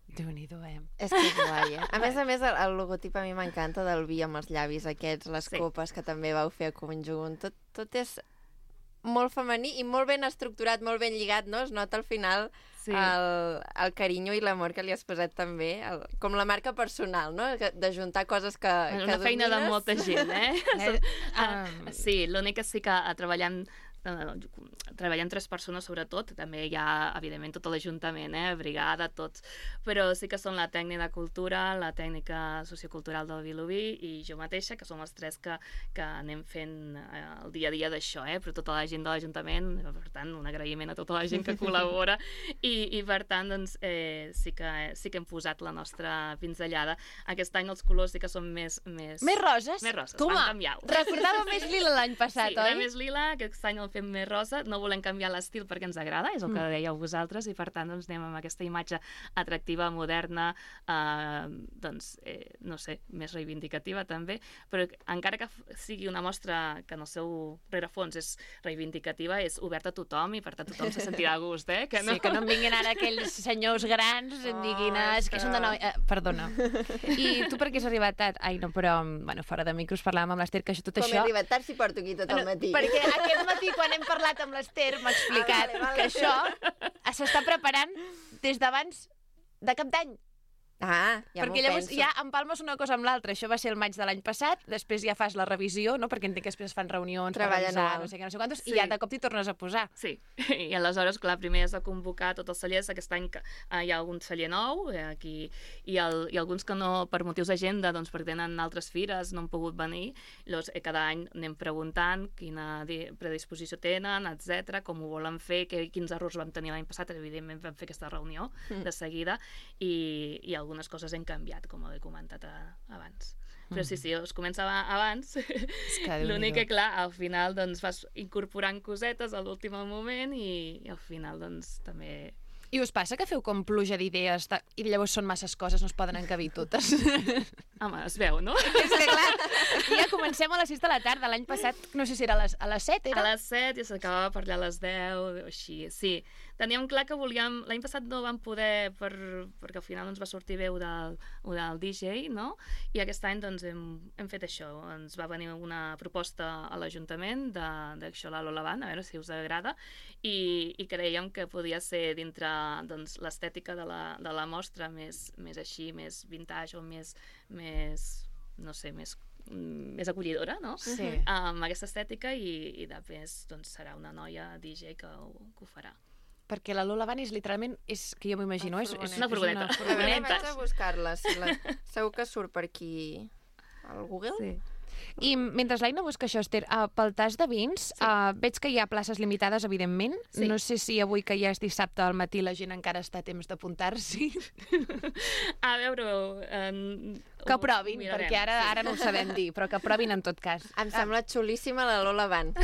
Déu-n'hi-do, És que és guai, A més, el logotip a mi m'encanta del vi amb els llavis aquests, les copes que també vau fer a conjunt. Tot és molt femení i molt ben estructurat, molt ben lligat, no? Es nota al final el carinyo i l'amor que li has posat també, com la marca personal, no? De juntar coses que una feina de molta gent, Sí, l'únic que sí que treballem 3 persones sobretot, també hi ha evidentment tot l'Ajuntament, brigada, tots, però sí que són la tècnica de cultura, la tècnica sociocultural del Vilobí i jo mateixa, que som els 3 que anem fent el dia a dia d'això, però tota la gent de l'Ajuntament, per tant un agraïment a tota la gent que col·labora i per tant doncs, sí que hem posat la nostra pinzellada. Aquest any els colors sí que són més roses? Més roses, Toma, van canviar. Recordava més lila l'any passat, oi? oi? Sí, més lila, aquest any el fem més rosa, no volem canviar l'estil perquè ens agrada, és el que dèieu vosaltres, i per tant doncs, anem amb aquesta imatge atractiva, moderna, doncs, no sé, més reivindicativa també, però encara que sigui una mostra que en el seu rerefons és reivindicativa, és oberta a tothom i per tant tothom se sentirà a gust, que no? Sí, que no em vinguin ara aquells senyors grans i em diguin, és que són de nou... Perdona. I tu per què has arribat tard? Ai, no, però, bueno, fora de micros parlàvem amb l'Ester que tot això... Com he arribat tard si porto aquí tot el matí? Perquè aquest matí, quan hem parlat amb l'Ester, m'ha explicat que això s'està preparant des d'abans de Cap d'Any. Perquè llavors ja empalmes una cosa amb l'altra. Això va ser el maig de l'any passat, després ja fas la revisió, no? Perquè entenc que després es fan reunions per revisar, no sé què, no sé quantos, i ja de cop t'hi tornes a posar. Sí, i aleshores, clar, primer has de convocar tots els cellers. Aquest any hi ha algun celler nou aquí, i alguns que no, per motius d'agenda, doncs perquè tenen altres fires, no han pogut venir. Llavors, cada any anem preguntant quina predisposició tenen, etc, com ho volen fer, quins errors vam tenir l'any passat. Evidentment vam fer aquesta reunió de seguida, i algunes coses hem canviat, com he comentat abans. Però sí, es comença abans. L'únic que, clar, al final doncs, vas incorporant cosetes a l'últim moment i al final doncs, també... I us passa que feu com pluja d'idees i llavors són masses coses, no es poden encabir totes? Home, es veu, no? És que, clar, ja comencem a les 6 de la tarda. L'any passat, no sé si era a les 7, era? A les 7 i s'acabava per allà a les 10, o així, sí. Teníem clar que volíem... L'any passat no vam poder, perquè al final ens va sortir bé ho del DJ, no? I aquest any doncs, hem fet això. Ens va venir una proposta a l'Ajuntament d'això, la Lola Band, a veure si us agrada, i creiem que podia ser dintre doncs, l'estètica de la mostra més així, més vintage o més no sé, més acollidora, no? Sí. Amb aquesta estètica i després doncs, serà una noia DJ que ho farà. Perquè la Lola Band és literalment, que jo m'imagino, és una furgoneta. Vaig a buscar-la. Segur que surt per aquí al Google. Sí. I mentre l'Aina busca això, Esther, pel tas de vins, veig que hi ha places limitades, evidentment. Sí. No sé si avui, que ja és dissabte al matí, la gent encara està a temps d'apuntar-s'hi. A veure... Que provin, perquè ara no ho sabem dir, però que provin en tot cas. Em sembla xulíssima la Lola Band.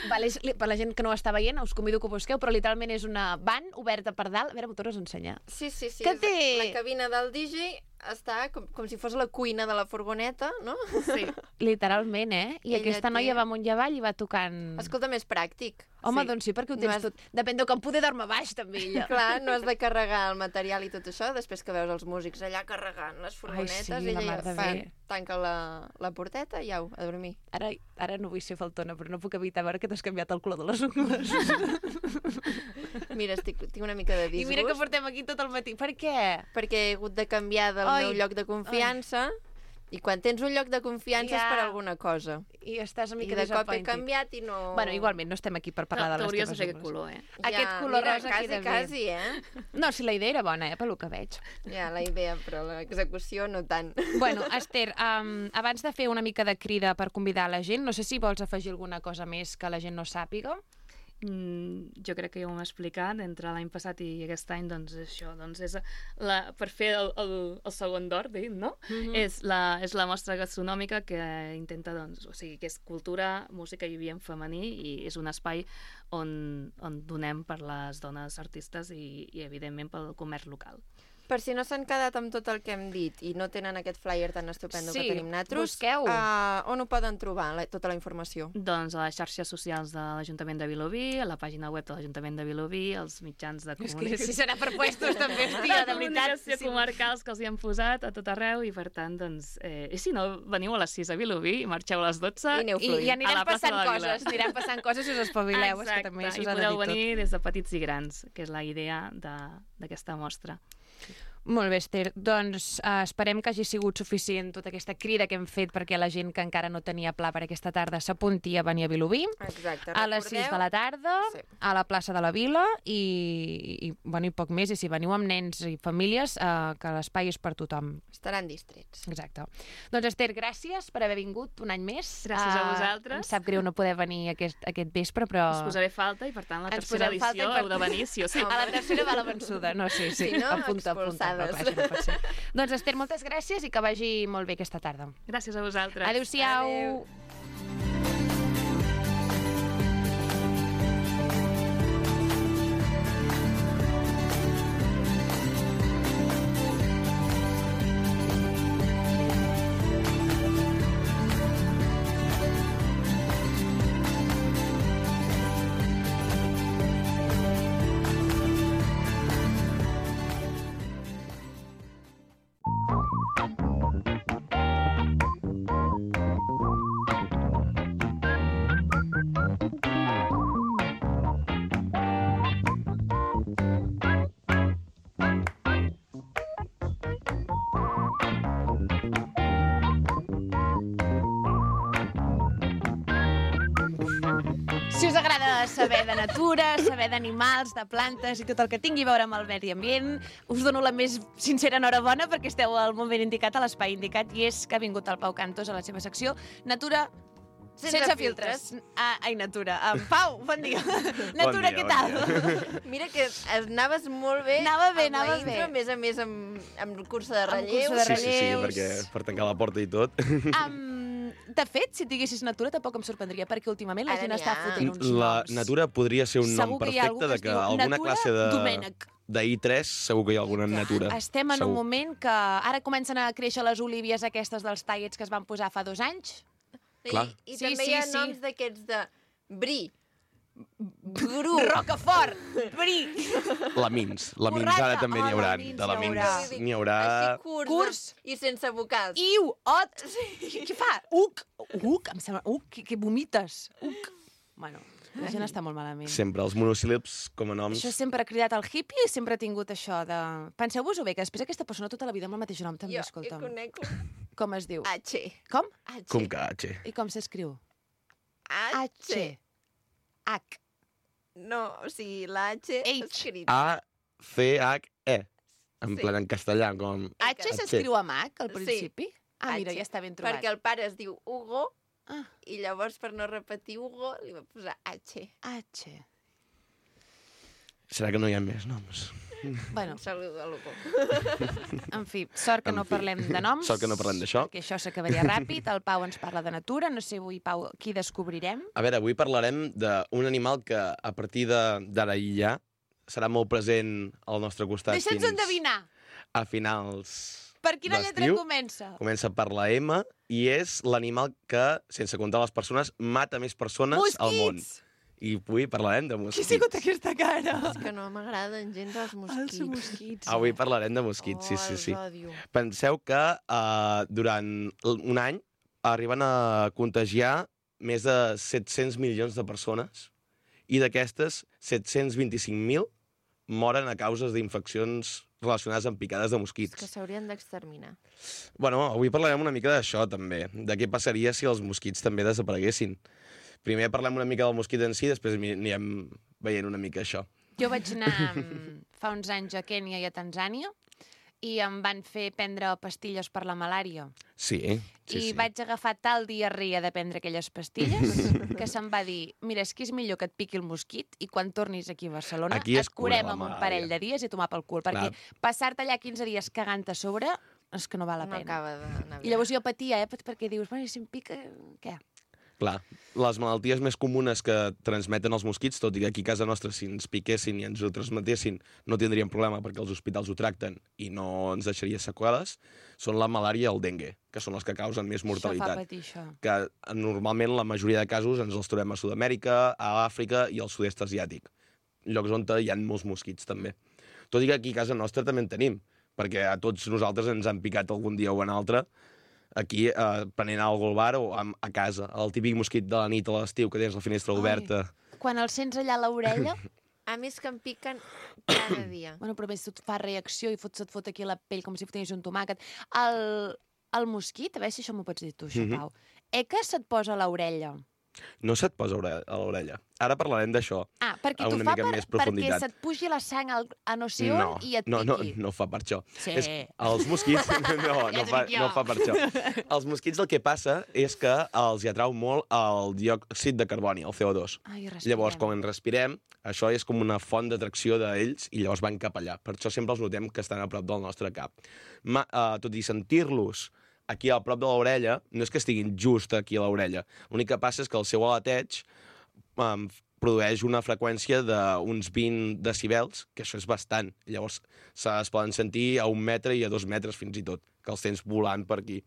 Per la gent que no ho està veient, us convido que ho busqueu, però literalment és una van oberta per dalt. A veure, m'ho tornes a ensenyar. Sí. Que té... La cabina del DJ està com si fos la cuina de la furgoneta, no? Sí. Literalment, I aquesta noia va amunt i avall i va tocant... Escolta, més pràctic. Home, doncs sí, perquè ho tens tot. Depèn de com poder dormir baix, també, ella. Clar, no has de carregar el material i tot això, després que veus els músics allà carregant les furgonetes, ella tanca la porteta i au, a dormir. Ara no vull ser faltona, però no puc evitar veure que t'has canviat el color de les ungles. Mira, tinc una mica de disgust. I mira que portem aquí tot el matí. Per què? Perquè he hagut de canviar del meu lloc de confiança. I quan tens un lloc de confiança és per alguna cosa. I estàs una mica disappointed. I de cop he canviat i no... Bueno, igualment, no estem aquí per parlar de les teves ungles. T'hauries de fer aquest color, Aquest color rosa queda bé. Quasi, No, si la idea era bona, pel que veig. Ja, la idea, però l'execució no tant. Bueno, Esther, abans de fer una mica de crida per convidar la gent, no sé si vols afegir alguna cosa més que la gent no sàpiga. jo crec que ja ho hem explicat, entre l'any passat i aquest any, doncs això, doncs és per fer el segon d'or, no? És la mostra gastronòmica que intenta, doncs, o sigui, que és cultura, música i ambient femení, i és un espai on donem per les dones artistes i evidentment, pel comerç local. Per si no s'han quedat amb tot el que hem dit i no tenen aquest flyer tan estupendo que tenim nosaltres, busqueu. On ho poden trobar, tota la informació? Doncs a les xarxes socials de l'Ajuntament de Vilobí, a la pàgina web de l'Ajuntament de Vilobí, als mitjans de comunicació. Si serà per puestos, també, hòstia, de veritat. Comarcals que els hi han posat a tot arreu, i per tant, doncs... I si no, veniu a les 6 a Vilobí i marxeu a les 12. I anirem passant coses, si us espavileu, és que també s'us ha de dir tot. I podeu venir des de petits i grans, que és la idea d'aquesta mostra. Molt bé, Esther. Doncs esperem que hagi sigut suficient tota aquesta crida que hem fet perquè la gent que encara no tenia pla per aquesta tarda s'apunti a venir a Vilobí. Exacte. A les 6 de la tarda, a la plaça de la Vila i poc més. I si veniu amb nens i famílies, que l'espai és per tothom. Estaran distrets. Exacte. Doncs, Esther, gràcies per haver vingut un any més. Gràcies a vosaltres. Em sap greu no poder venir aquest vespre, però... Us posaré falta i, per tant, la tercera edició heu de venir, sí o sí. A la tercera va la vençuda. No, sí. Si no, apunta. No, clar, no pot ser. Doncs, Esther, moltes gràcies i que vagi molt bé aquesta tarda. Gràcies a vosaltres. Adéu-siau. Adéu. Si us agrada saber de natura, saber d'animals, de plantes i tot el que tingui a veure amb el medi ambient, us dono la més sincera enhorabona perquè esteu al moment indicat, a l'espai indicat, i és que ha vingut el Pau Cantos a la seva secció Natura sense filtres. Ai, Natura. Pau, bon dia. Natura, què tal? Mira que anaves molt bé. Anava bé. A més amb el curs de relleu. Sí, perquè per tancar la porta i tot. De fet, si diguessis Natura tampoc em sorprendria, perquè últimament la gent està fotent uns noms. La Natura podria ser un nom perfecte de que alguna classe d'I3 segur que hi ha alguna Natura. Estem en un moment que ara comencen a créixer les olívies aquestes dels tallets que es van posar fa 2 anys. I també hi ha noms d'aquests de Bri, Bru, Rocafort, Bri, Lamins ara també n'hi haurà. De Lamins n'hi haurà... Així curs i sense vocals. Iu, ot, què fa? Uc, em sembla, que vomites. Uc. Bueno, la gent està molt malament. Sempre, els monosíl·labs com a noms... Això sempre ha cridat el hippie i sempre ha tingut això de... Penseu-vos-ho bé, que després aquesta persona tota la vida amb el mateix nom també, escolta'm. Jo conec com es diu? H. Com? Com que H? I com s'escriu? H. H. No, o sigui, la H escrit. A-C-H-E. En plan, en castellà, com... H s'escriu amb H, al principi? Ah, mira, ja està ben trobat. Perquè el pare es diu Hugo, i llavors, per no repetir Hugo, li va posar H. H. Serà que no hi ha més noms? Bueno, saludo a l'Hugo. En fi, sort que no parlem de noms. Sort que no parlem d'això. Perquè això s'acabaria ràpid. El Pau ens parla de natura. No sé avui, Pau, qui descobrirem? A veure, avui parlarem d'un animal que a partir d'ara i ja serà molt present al nostre costat. Deixa'ns endevinar. A finals per quina lletra comença? Comença per la M i és l'animal que, sense comptar les persones, mata més persones al món. Mosquits! I avui parlarem de mosquits. Qui ha sigut aquesta cara? És que no m'agraden gens els mosquits. Els mosquits. Avui parlarem de mosquits, sí. Els odio. Penseu que durant un any arriben a contagiar més de 700 milions de persones i d'aquestes 725.000 moren a causes d'infeccions relacionades amb picades de mosquits. És que s'haurien d'exterminar. Bueno, avui parlarem una mica d'això, també. De què passaria si els mosquits també desapareguessin. Primer parlem una mica del mosquit en si, després anirem veient una mica això. Jo vaig anar fa uns anys a Kènia i a Tanzània i em van fer prendre pastilles per la malària. Sí, I vaig agafar tal diarrea de prendre aquelles pastilles que se'm va dir, mira, és que és millor que et piqui el mosquit i quan tornis aquí a Barcelona Aquí es et cura curem la amb un malària. parell de dies i a tomar pel cul, perquè passar-te allà 15 dies cagant a sobre és que no val la No pena. acaba d'anar bé. I llavors jo patia, perquè dius, bueno, si em pica, què? Clar, les malalties més comunes que transmeten els mosquits, tot i que aquí a casa nostra si ens piquessin i ens ho transmetessin no tindríem problema perquè els hospitals ho tracten i no ens deixaria seqüeles, són la malària i el dengue, que són les que causen més mortalitat. Això fa patir, això. Que normalment la majoria de casos ens els trobem a Sud-amèrica, a Àfrica i al sud-est asiàtic, llocs on hi ha molts mosquits també. Tot i que aquí a casa nostra també en tenim, perquè a tots nosaltres ens han picat algun dia o en altre, aquí prenent alguna al bar o a casa. El típic mosquit de la nit a l'estiu que tens la finestra oberta. Quan el sents allà a l'orella, A més que em piquen cada dia. bueno, però a més tu et fa reacció i se't fot aquí la pell com si tingués un tomàquet. El mosquit, a veure si això m'ho pots dir tu, això, Pau. Que se't posa a l'orella. No se't posa a l'orella. Ara parlarem d'això. Perquè A t'ho una fa mica més profunditat. perquè se't pugi la sang a no sé on i et piqui. No fa per això. Sí. Els mosquits... No fa per això. Els mosquits el que passa és que els hi atrau molt el diòxid de carboni, el CO2. Ai, respirem. Llavors, quan respirem, això és com una font d'atracció d'ells i llavors van cap allà. Per això sempre els notem que estan a prop del nostre cap. Tot i sentir-los aquí a prop de l'orella, no és que estiguin just aquí a l'orella. L'únic que passa és que el seu aleteig produeix una freqüència d'uns 20 decibels, que això és bastant. Llavors es poden sentir a 1 metre i a 2 metres fins i tot, que els tens volant per aquí.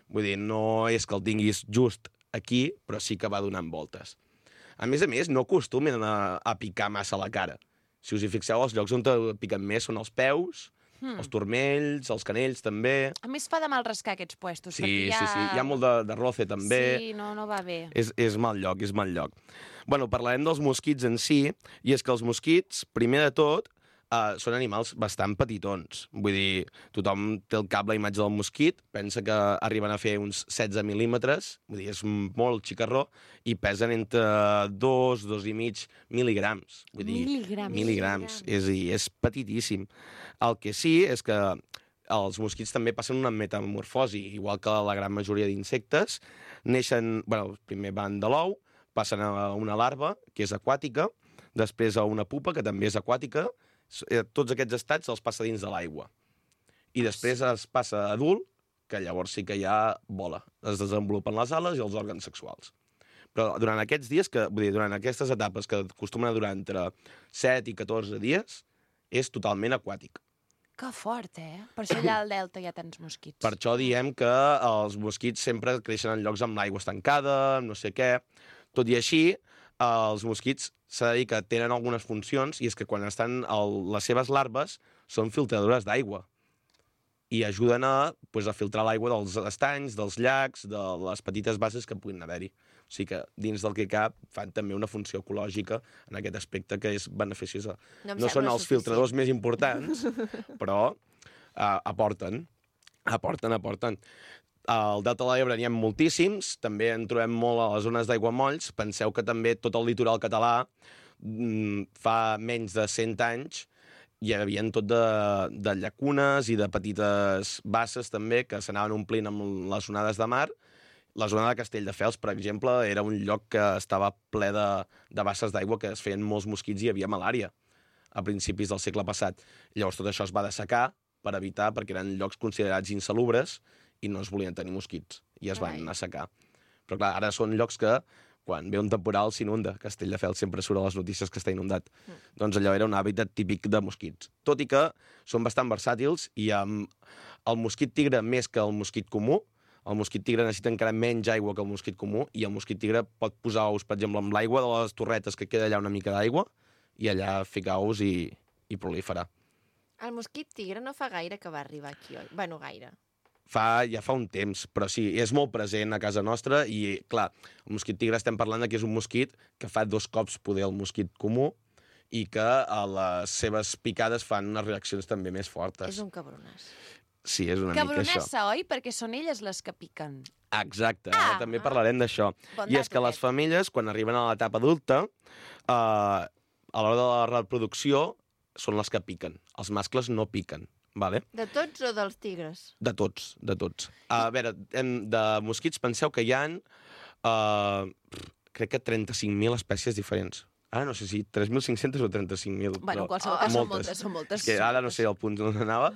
Vull dir, no és que el tinguis just aquí, però sí que va donant voltes. A més, no acostumen a picar massa la cara. Si us hi fixeu, els llocs on piquen més són els peus, els turmells, els canells també. A més fa de mal rascar aquests puestos. Sí. Hi ha molt de roce també. Sí, no va bé. És mal lloc, és mal lloc. Bueno, parlarem dels mosquits en si, i és que els mosquits, primer de tot, són animals bastant petitons. Vull dir, tothom té al cap la imatge del mosquit, pensa que arriben a fer uns 16 mil·límetres, vull dir, és molt xicarró, i pesen entre 2,5 mil·ligrams. Vull dir, mil·ligrams. És petitíssim. El que sí és que els mosquits també passen una metamorfosi, igual que la gran majoria d'insectes. Neixen, primer van de l'ou, passen a una larva, que és aquàtica, després a una pupa, que també és aquàtica. Tots aquests estats els passa dins de l'aigua. I després es passa a adult, que llavors sí que ja vola. Es desenvolupen les ales i els òrgans sexuals. Però durant aquests dies, durant aquestes etapes que acostumen a durar entre 7 i 14 dies, és totalment aquàtic. Que fort, Per això allà al delta hi ha tants mosquits. Per això diem que els mosquits sempre creixen en llocs amb l'aigua estancada, no sé què. Tot i així, els mosquits s'ha de dir que tenen algunes funcions, i és que quan estan les seves larves són filtradores d'aigua i ajuden a filtrar l'aigua dels estanys, dels llacs, de les petites bases que puguin haver-hi. O sigui que dins del que cap fan també una funció ecològica en aquest aspecte que és beneficiosa. No són els filtradors més importants, però aporten. Al Delta de l'Ebre n'hi ha moltíssims, també en trobem molt a les zones d'aiguamolls. Penseu que també tot el litoral català fa menys de 100 anys hi havia tot de llacunes i de petites basses també que s'anaven omplint amb les onades de mar. La zona de Castelldefels, per exemple, era un lloc que estava ple de basses d'aigua que es feien molts mosquits i hi havia malària a principis del segle passat. Llavors tot això es va dessecar per evitar, perquè eren llocs considerats insalubres i no es volien tenir mosquits i es van assecar. Però clar, ara són llocs que quan ve un temporal s'inunda. Castelldefels sempre surt a les notícies que està inundat. Doncs allò era un hàbitat típic de mosquits. Tot i que són bastant versàtils i el mosquit tigre més que el mosquit comú. El mosquit tigre necessita encara menys aigua que el mosquit comú i el mosquit tigre pot posar ous, per exemple, amb l'aigua de les torretes que queda allà una mica d'aigua i allà ficar ous i proliferar. El mosquit tigre no fa gaire que va arribar aquí, oi? Bueno, gaire. Ja fa un temps, però sí, és molt present a casa nostra i, clar, el mosquit tigre estem parlant que és un mosquit que fa 2 cops poder el mosquit comú i que a les seves picades fan unes reaccions també més fortes. És un cabronàs. Sí, és una mica això. Cabronassa, oi? Perquè són elles les que piquen. Exacte, també parlarem d'això. I és que les femelles, quan arriben a l'etapa adulta, a l'hora de la reproducció, són les que piquen. Els mascles no piquen. vale? De tots o dels tigres? De tots, de tots. A veure, de mosquits penseu que hi ha, crec que 35.000 espècies diferents. Ara no sé si 3.500 o 35.000. Bueno, en qualsevol cas són moltes. És que ara no sé el punt on anava,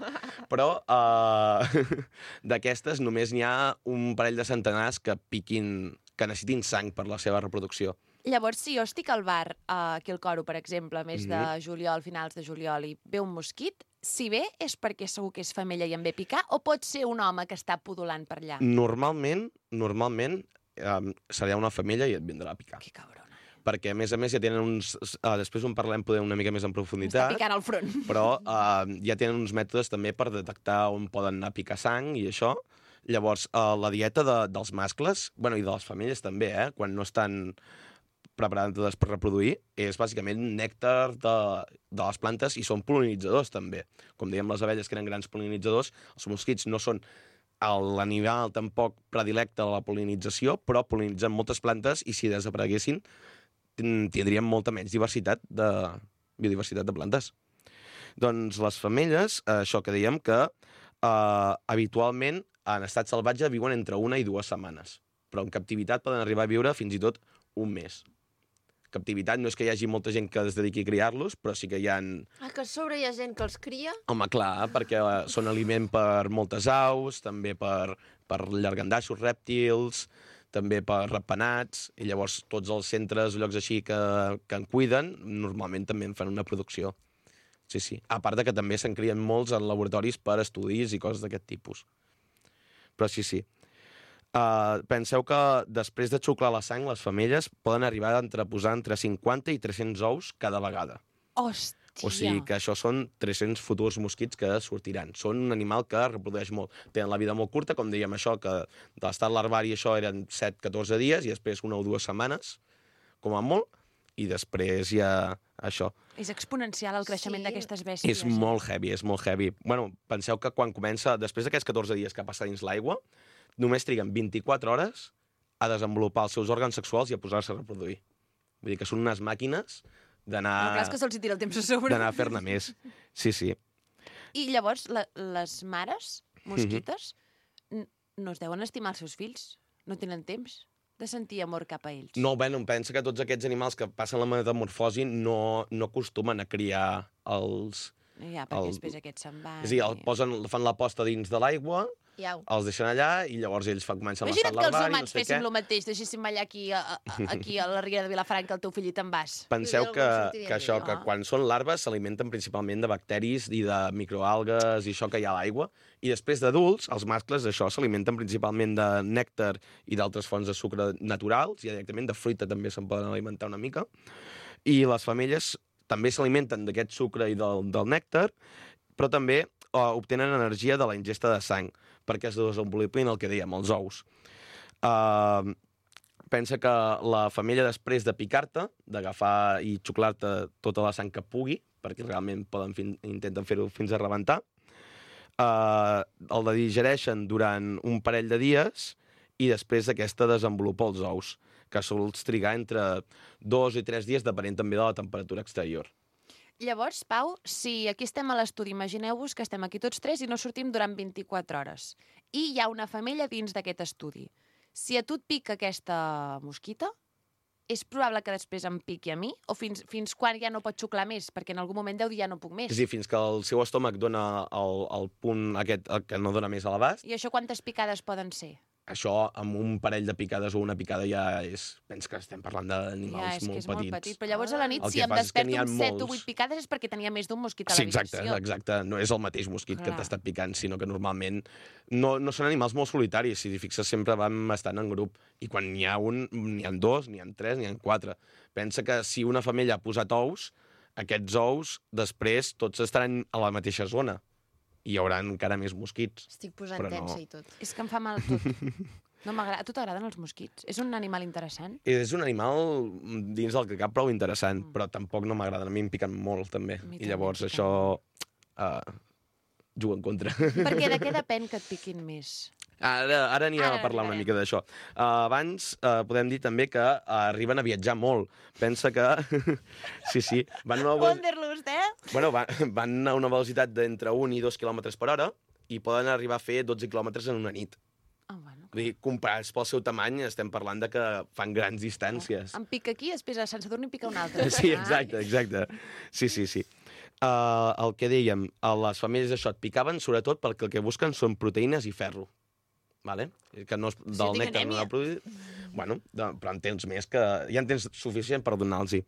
però d'aquestes només n'hi ha un parell de centenars que piquin, que necessitin sang per la seva reproducció. Llavors, si jo estic al bar aquí al Coro, per exemple, mes de juliol, finals de juliol, i ve un mosquit, si ve és perquè segur que és femella i em ve picar, o pot ser un home que està pudulant per allà? Normalment, serà una femella i et vindrà a picar. Que cabrona. Perquè, a més, ja tenen uns... després en parlem poder una mica més en profunditat. M'està picant al front. Però ja tenen uns mètodes també per detectar on poden anar a picar sang i això. Llavors, la dieta dels mascles, bueno, i de les femelles també, quan no estan preparades per reproduir, és bàsicament nèctar de les plantes i són pol·linitzadors també. Com dèiem, les abelles que eren grans pol·linitzadors, els mosquits no són l'animal tampoc predilecte de la pol·linització, però pol·linitzen moltes plantes i si desapareguessin tindríem molta menys biodiversitat de plantes. Doncs les femelles, això que dèiem, que habitualment en estat salvatge viuen entre 1 i 2 setmanes, però en captivitat poden arribar a viure fins i tot un mes. Captivitat no és que hi hagi molta gent que es dediqui a criar-los, però sí que hi ha... Que a sobre hi ha gent que els cria? Home, clar, perquè són aliment per moltes aus, també per llargandaixos, rèptils, també per ratpenats, i llavors tots els centres, llocs així que en cuiden, normalment també en fan una producció. Sí. A part que també se'n crien molts en laboratoris per estudis i coses d'aquest tipus. Però sí. Penseu que després de xuclar la sang, les femelles poden arribar a posar entre 50 i 300 ous cada vegada. Hòstia! O sigui que això són 300 futurs mosquits que sortiran. Són un animal que reprodueix molt. Tenen la vida molt curta, com dèiem això, que de l'estat larvari això eren 7-14 dies i després 1 o 2 setmanes, com a molt, i després ja això. És exponencial el creixement d'aquestes bèsties. És molt heavy, és molt heavy. Bueno, penseu que quan comença, després d'aquests 14 dies que passa dins l'aigua, només triguen 24 hores a desenvolupar els seus òrgans sexuals i a posar-se a reproduir. Vull dir que són unes màquines d'anar... No, clar, és que se'ls tira el temps a sobre. D'anar a fer-ne més. Sí. I llavors, les mares mosquites no es deuen estimar els seus fills? No tenen temps de sentir amor cap a ells? No, em pensa que tots aquests animals que passen la metamorfosi no acostumen a criar els... Ja, perquè després aquests se'n van... És a dir, fan la posta dins de l'aigua, els deixen allà i llavors ells comencen l'estat larvari, no sé què. Imagina't que els humans féssim el mateix, deixéssim allà aquí a la Riera de Vilafranca el teu fill i te'n vas. Penseu que quan són larves s'alimenten principalment de bacteris i de microalgues i això que hi ha a l'aigua, i després d'adults, els mascles d'això s'alimenten principalment de nèctar i d'altres fonts de sucre naturals, i directament de fruita també se'n poden alimentar una mica, i les femelles també s'alimenten d'aquest sucre i del nèctar, però també obtenen energia de la ingesta de sang, perquè es desenvolupin el que dèiem, els ous. Pensa que la femella, després de picar-te, d'agafar i xuclar-te tota la sang que pugui, perquè realment intenten fer-ho fins a rebentar, el digereixen durant un parell de dies i després d'aquesta desenvolupa els ous, que sols trigar entre 2 i 3 dies, depenent també de la temperatura exterior. Llavors, Pau, si aquí estem a l'estudi, imagineu-vos que estem aquí tots tres i no sortim durant 24 hores. I hi ha una femella dins d'aquest estudi. Si a tu et pica aquesta mosquita, és probable que després em piqui a mi? O fins quan ja no pot xuclar més? Perquè en algun moment deu dir ja no puc més. És a dir, fins que el seu estómac dona el punt aquest que no dona més a l'abast. I això quantes picades poden ser? Això, amb un parell de picades o una picada ja és... Penso que estem parlant d'animals molt petits. Molt petit. Però llavors a la nit, si em desperto amb 7 o 8 picades és perquè tenia més d'un mosquit a l'habitació. Sí, exacte. No és el mateix mosquit que t'ha estat picant, sinó que normalment no són animals molt solitaris. Si t'hi fixes, sempre van estant en grup. I quan n'hi ha un, n'hi ha 2, n'hi ha 3, n'hi ha 4. Pensa que si una femella ha posat ous, aquests ous després tots estaran a la mateixa zona. I hi haurà encara més mosquits. Estic posant tensa i tot. És que em fa mal tot. No m'agrada. A tu t'agraden els mosquits? És un animal interessant? És un animal dins del que cap prou interessant, però tampoc no m'agraden. A mi em piquen molt, també. I llavors això juga en contra. Perquè de què depèn que et piquin més? Ara anirem Ara a parlar una arribarem. mica d'això. Abans podem dir també que arriben a viatjar molt. Pensa que... sí, van a una, Wanderlust, bueno, van a una velocitat d'entre 1 i 2 km per hora i poden arribar a fer 12 quilòmetres en una nit. Oh, bueno. Vull dir, comparats pel seu tamany, estem parlant de que fan grans distàncies. Em pica aquí, després a Sant Sadurní pica un altre. Sí, exacte. Sí. El que dèiem, a les femelles això et picaven sobretot perquè el que busquen són proteïnes i ferro. Vale? Que no és del tinc nèctar no anèmia. ha produït. Bueno, però en tens més, que ja en tens suficient per donar-los-hi.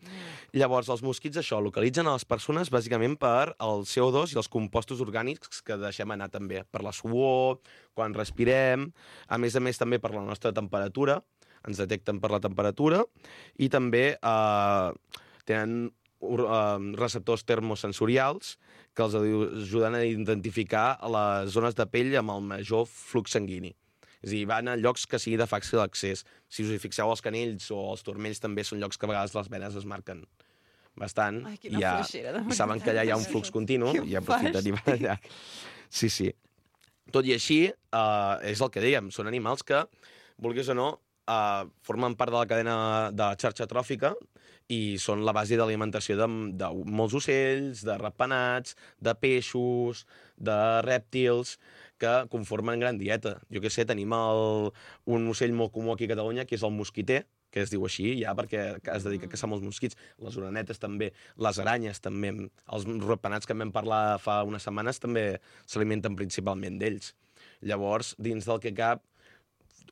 Llavors, els mosquits, això, localitzen a les persones bàsicament per el CO2 i els compostos orgànics que deixem anar també, per la suor, quan respirem, a més també per la nostra temperatura, ens detecten per la temperatura, i també tenen receptors termosensorials que els ajuden a identificar les zones de pell amb el major flux sanguini. És a dir, van a llocs que sigui de fàcil accés. Si us hi fixeu, els canells o els turmells també són llocs que a vegades les venes es marquen bastant. Ai, quina fluixera, de i saben que allà hi ha un flux continu Què i aprofiten i van allà. Sí. Tot i així, és el que dèiem, són animals que, vulguis o no, formen part de la cadena de la xarxa tròfica i són la base d'alimentació de molts ocells, de ratpenats, de peixos, de rèptils, que conformen gran dieta. Jo què sé, tenim un ocell molt comú aquí a Catalunya, que és el mosquiter, que es diu així, ja perquè es dedica a caçar molts mosquits. Les orenetes també, les aranyes també, els ratpenats que en vam parlar fa unes setmanes també s'alimenten principalment d'ells. Llavors, dins del que cap,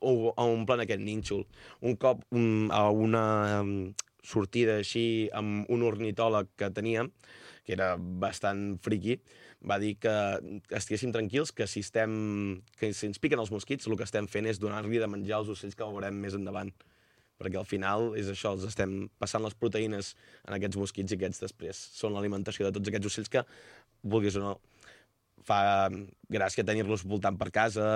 omplen aquest nínxol. Un cop a una sortida així amb un ornitòleg que teníem, que era bastant friqui, va dir que estiguéssim tranquils, que si ens piquen els mosquits, el que estem fent és donar-li de menjar als ocells que veurem més endavant. Perquè al final és això, els estem passant les proteïnes en aquests mosquits i aquests després són l'alimentació de tots aquests ocells que, vulguis o no, fa gràcia tenir-los voltant per casa.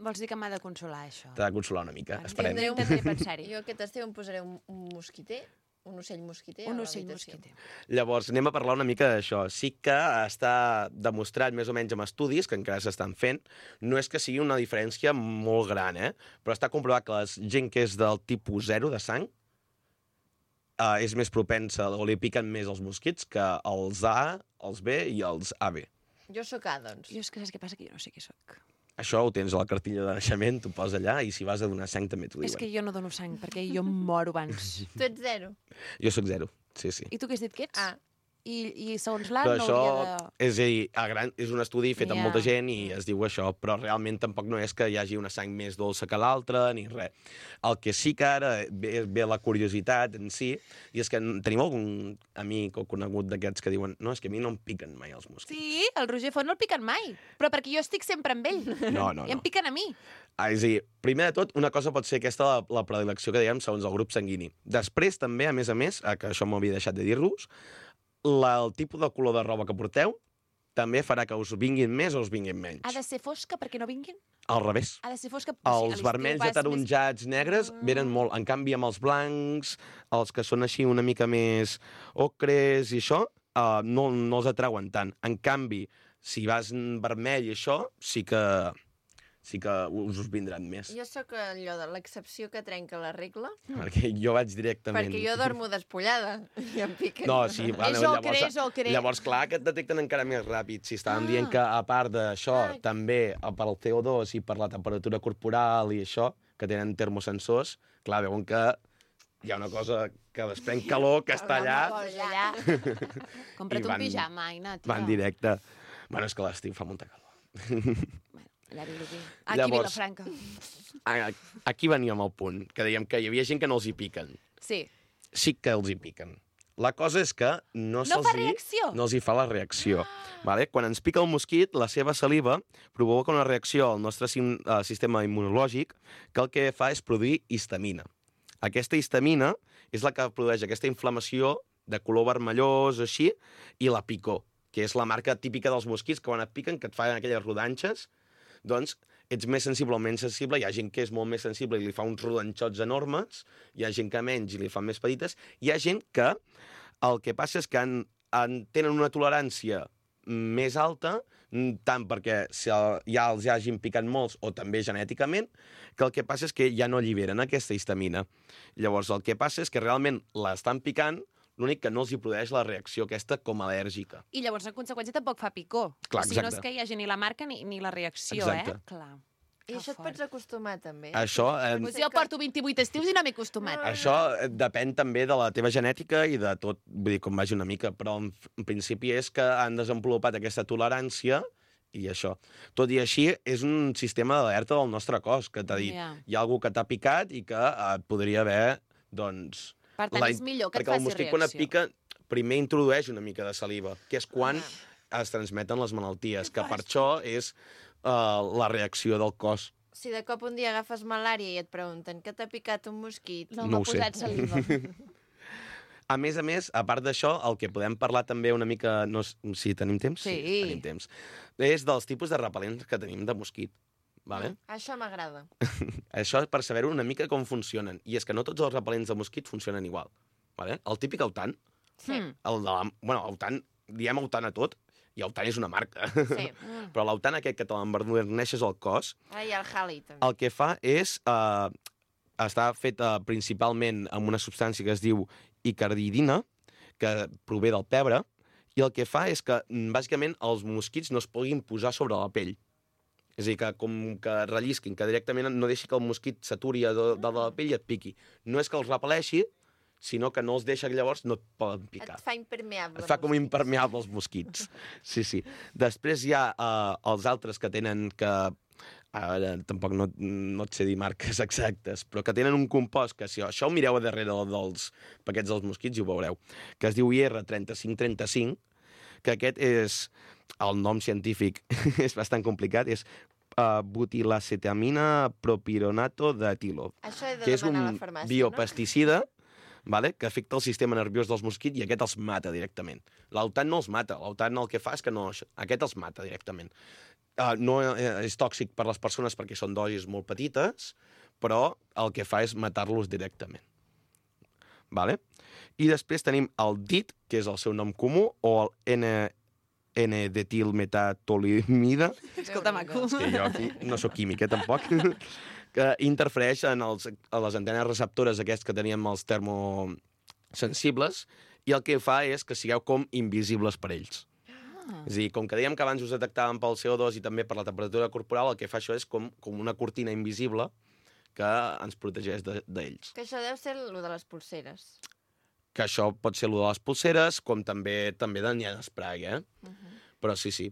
Vols dir que m'ha de consolar, això? T'ha de consolar una mica, esperem. Intentaré pensar-hi. Jo aquest estiu em posaré un mosquiter, un ocell mosquiter. Un a ocell l'habitació. mosquiter. Llavors, anem a parlar una mica d'això. Sí que està demostrat més o menys amb estudis, que encara s'estan fent, no és que sigui una diferència molt gran, però està comprovat que la gent que és del tipus 0 de sang és més propensa o li piquen més els mosquits que els A, els B i els AB. Jo sóc A, doncs. Jo és que saps què passa? Que jo no sé qui sóc. Això ho tens a la cartilla de naixement, t'ho poses allà, i si vas a donar sang també t'ho diuen. És que jo no dono sang, perquè jo em moro abans. Tu ets 0. Jo sóc 0, sí. I tu què has dit que ets? A. I segons l'A Però no això, hauria de... és a dir, és un estudi fet amb Ja. molta gent i es diu això, però realment tampoc no és que hi hagi una sang més dolça que l'altra, ni res. El que sí que ara ve la curiositat en si, i és que tenim algun amic o conegut d'aquests que diuen no, és que a mi no em piquen mai els mosquits. Sí, el Roger Font no el piquen mai, però perquè jo estic sempre amb ell. No. I em piquen a mi. És a dir, primer de tot, una cosa pot ser aquesta, la predilecció que dèiem segons el grup sanguini. Després, també, a més, que això m'havia deixat de dir-vos, el tipus de color de roba que porteu també farà que us vinguin més o us vinguin menys. Ha de ser fosca perquè no vinguin? Al revés. Ha de ser fosca... Els vermells ataronjats negres venen molt. En canvi, amb els blancs, els que són així una mica més ocres i això, no els atrauen tant. En canvi, si vas en vermell i això, sí que us vindran més. Jo sóc allò de l'excepció que trenca la regla, Perquè jo vaig directament... perquè jo dormo despullada i em piquen. No, sí, És ocre, és ocre. Llavors, clar, que et detecten encara més ràpid. Si estàvem dient que, a part d'això, també per al CO2 i per la temperatura corporal i això, que tenen termosensors, clar, veuen que hi ha una cosa que desprèn calor, que està allà... Compra't I un van- pijama, Aina, tia. Va en directe. Bueno, és que a l'estiu fa molta calor. Bueno, allà Vilobí. Aquí Llavors- Vilafranca. Aquí veníem al punt, que dèiem que hi havia gent que no els hi piquen. Sí. Sí que els hi piquen. La cosa és que no fa reacció? no els hi fa la reacció. Vale? Quan ens pica el mosquit, la seva saliva provoca una reacció al nostre sistema immunològic que el que fa és produir histamina. Aquesta histamina és la que produeix aquesta inflamació de color vermellós, així, i la picor, que és la marca típica dels mosquits, que quan et piquen, que et fan aquelles rodanxes, doncs ets més sensible o menys sensible. Hi ha gent que és molt més sensible i li fa uns rodanxots enormes, hi ha gent que menys i li fan més petites, hi ha gent que el que passa és que tenen una tolerància més alta, tant perquè ja els hagin picat molts o també genèticament, que el que passa és que ja no alliberen aquesta histamina. Llavors, el que passa és que realment l'estan picant, l'únic que no els hi produeix la reacció aquesta com a al·lèrgica. I llavors, en conseqüència, tampoc fa picor. Clar, o sigui, no exacte. és que hi hagi ni la marca ni la reacció, Exacte. Clar. I Que això et fort. pots acostumar, també? Això, Pues jo porto 28 estius i no m'he acostumat. això depèn també de la teva genètica i de tot, vull dir, com vagi una mica, però en principi és que han desenvolupat aquesta tolerància i això. Tot i així, és un sistema d'alerta del nostre cos, que t'ha dit, Ja. hi ha algú que t'ha picat i que et podria haver, doncs... Per tant, és millor que et perquè el faci mosquit, quan et reacció. pica, primer introdueix una mica de saliva, que és quan es transmeten les malalties, que per això és la reacció del cos. Si de cop un dia agafes malària i et pregunten què t'ha picat un mosquit... No, No m'ha ho sé. posat saliva. A més, a part d'això, el que podem parlar també una mica... No, si tenim temps? Sí. Tenim temps. És dels tipus de repel·lents que tenim de mosquit. Vale? Això m'agrada. Això per saber una mica com funcionen. I és que no tots els repel·lents de mosquit funcionen igual. Vale? El típic autant, Sí. autant, diem autant a tot, i autant és una marca. Sí. Però l'autant aquest que te l'emberneixes al cos, Ara hi ha el Halley, també. el que fa és... està fet principalment amb una substància que es diu icardidina, que prové del pebre, i el que fa és que, bàsicament, els mosquits no es puguin posar sobre la pell. És a dir, que com que rellisquin, que directament no deixi que el mosquit s'aturi de la pell i et piqui. No és que els repel·leixi, sinó que no els deixa, llavors no et poden picar. Et fa impermeable. Et fa com impermeable els mosquits. Sí, sí. Després hi ha els altres que tenen que... Ara tampoc no et sé dir marques exactes, però que tenen un compost que, si això ho mireu a darrere dels paquets dels mosquits i ho veureu, que es diu IR3535, que aquest és... El nom científic és bastant complicat, és butilacetamina propironato d'etilo, Això he de que és demanar a un la farmàcia, biopesticida, vale? Que afecta el sistema nerviós dels mosquits i aquest els mata directament. L'autant no els mata, l'autant el que fa és que no... Aquest els mata directament. No és tòxic per les persones perquè són dosis molt petites, però el que fa és matar-los directament. Vale? I després tenim el DIT, que és el seu nom comú, o el N-detilmetatolimida, Escolta, maco. que jo aquí no sóc químic, tampoc, que interfereix en a les antenes receptores aquests que teníem els termosensibles, i el que fa és que sigueu com invisibles per ells. És a dir, com que dèiem que abans us detectàvem pel CO2 i també per la temperatura corporal, el que fa això és com una cortina invisible que ens protegeix d'ells. Que això deu ser el de les pulseres. Que això pot ser el de les pulseres, com també n'hi ha d'esprai, Però sí, sí.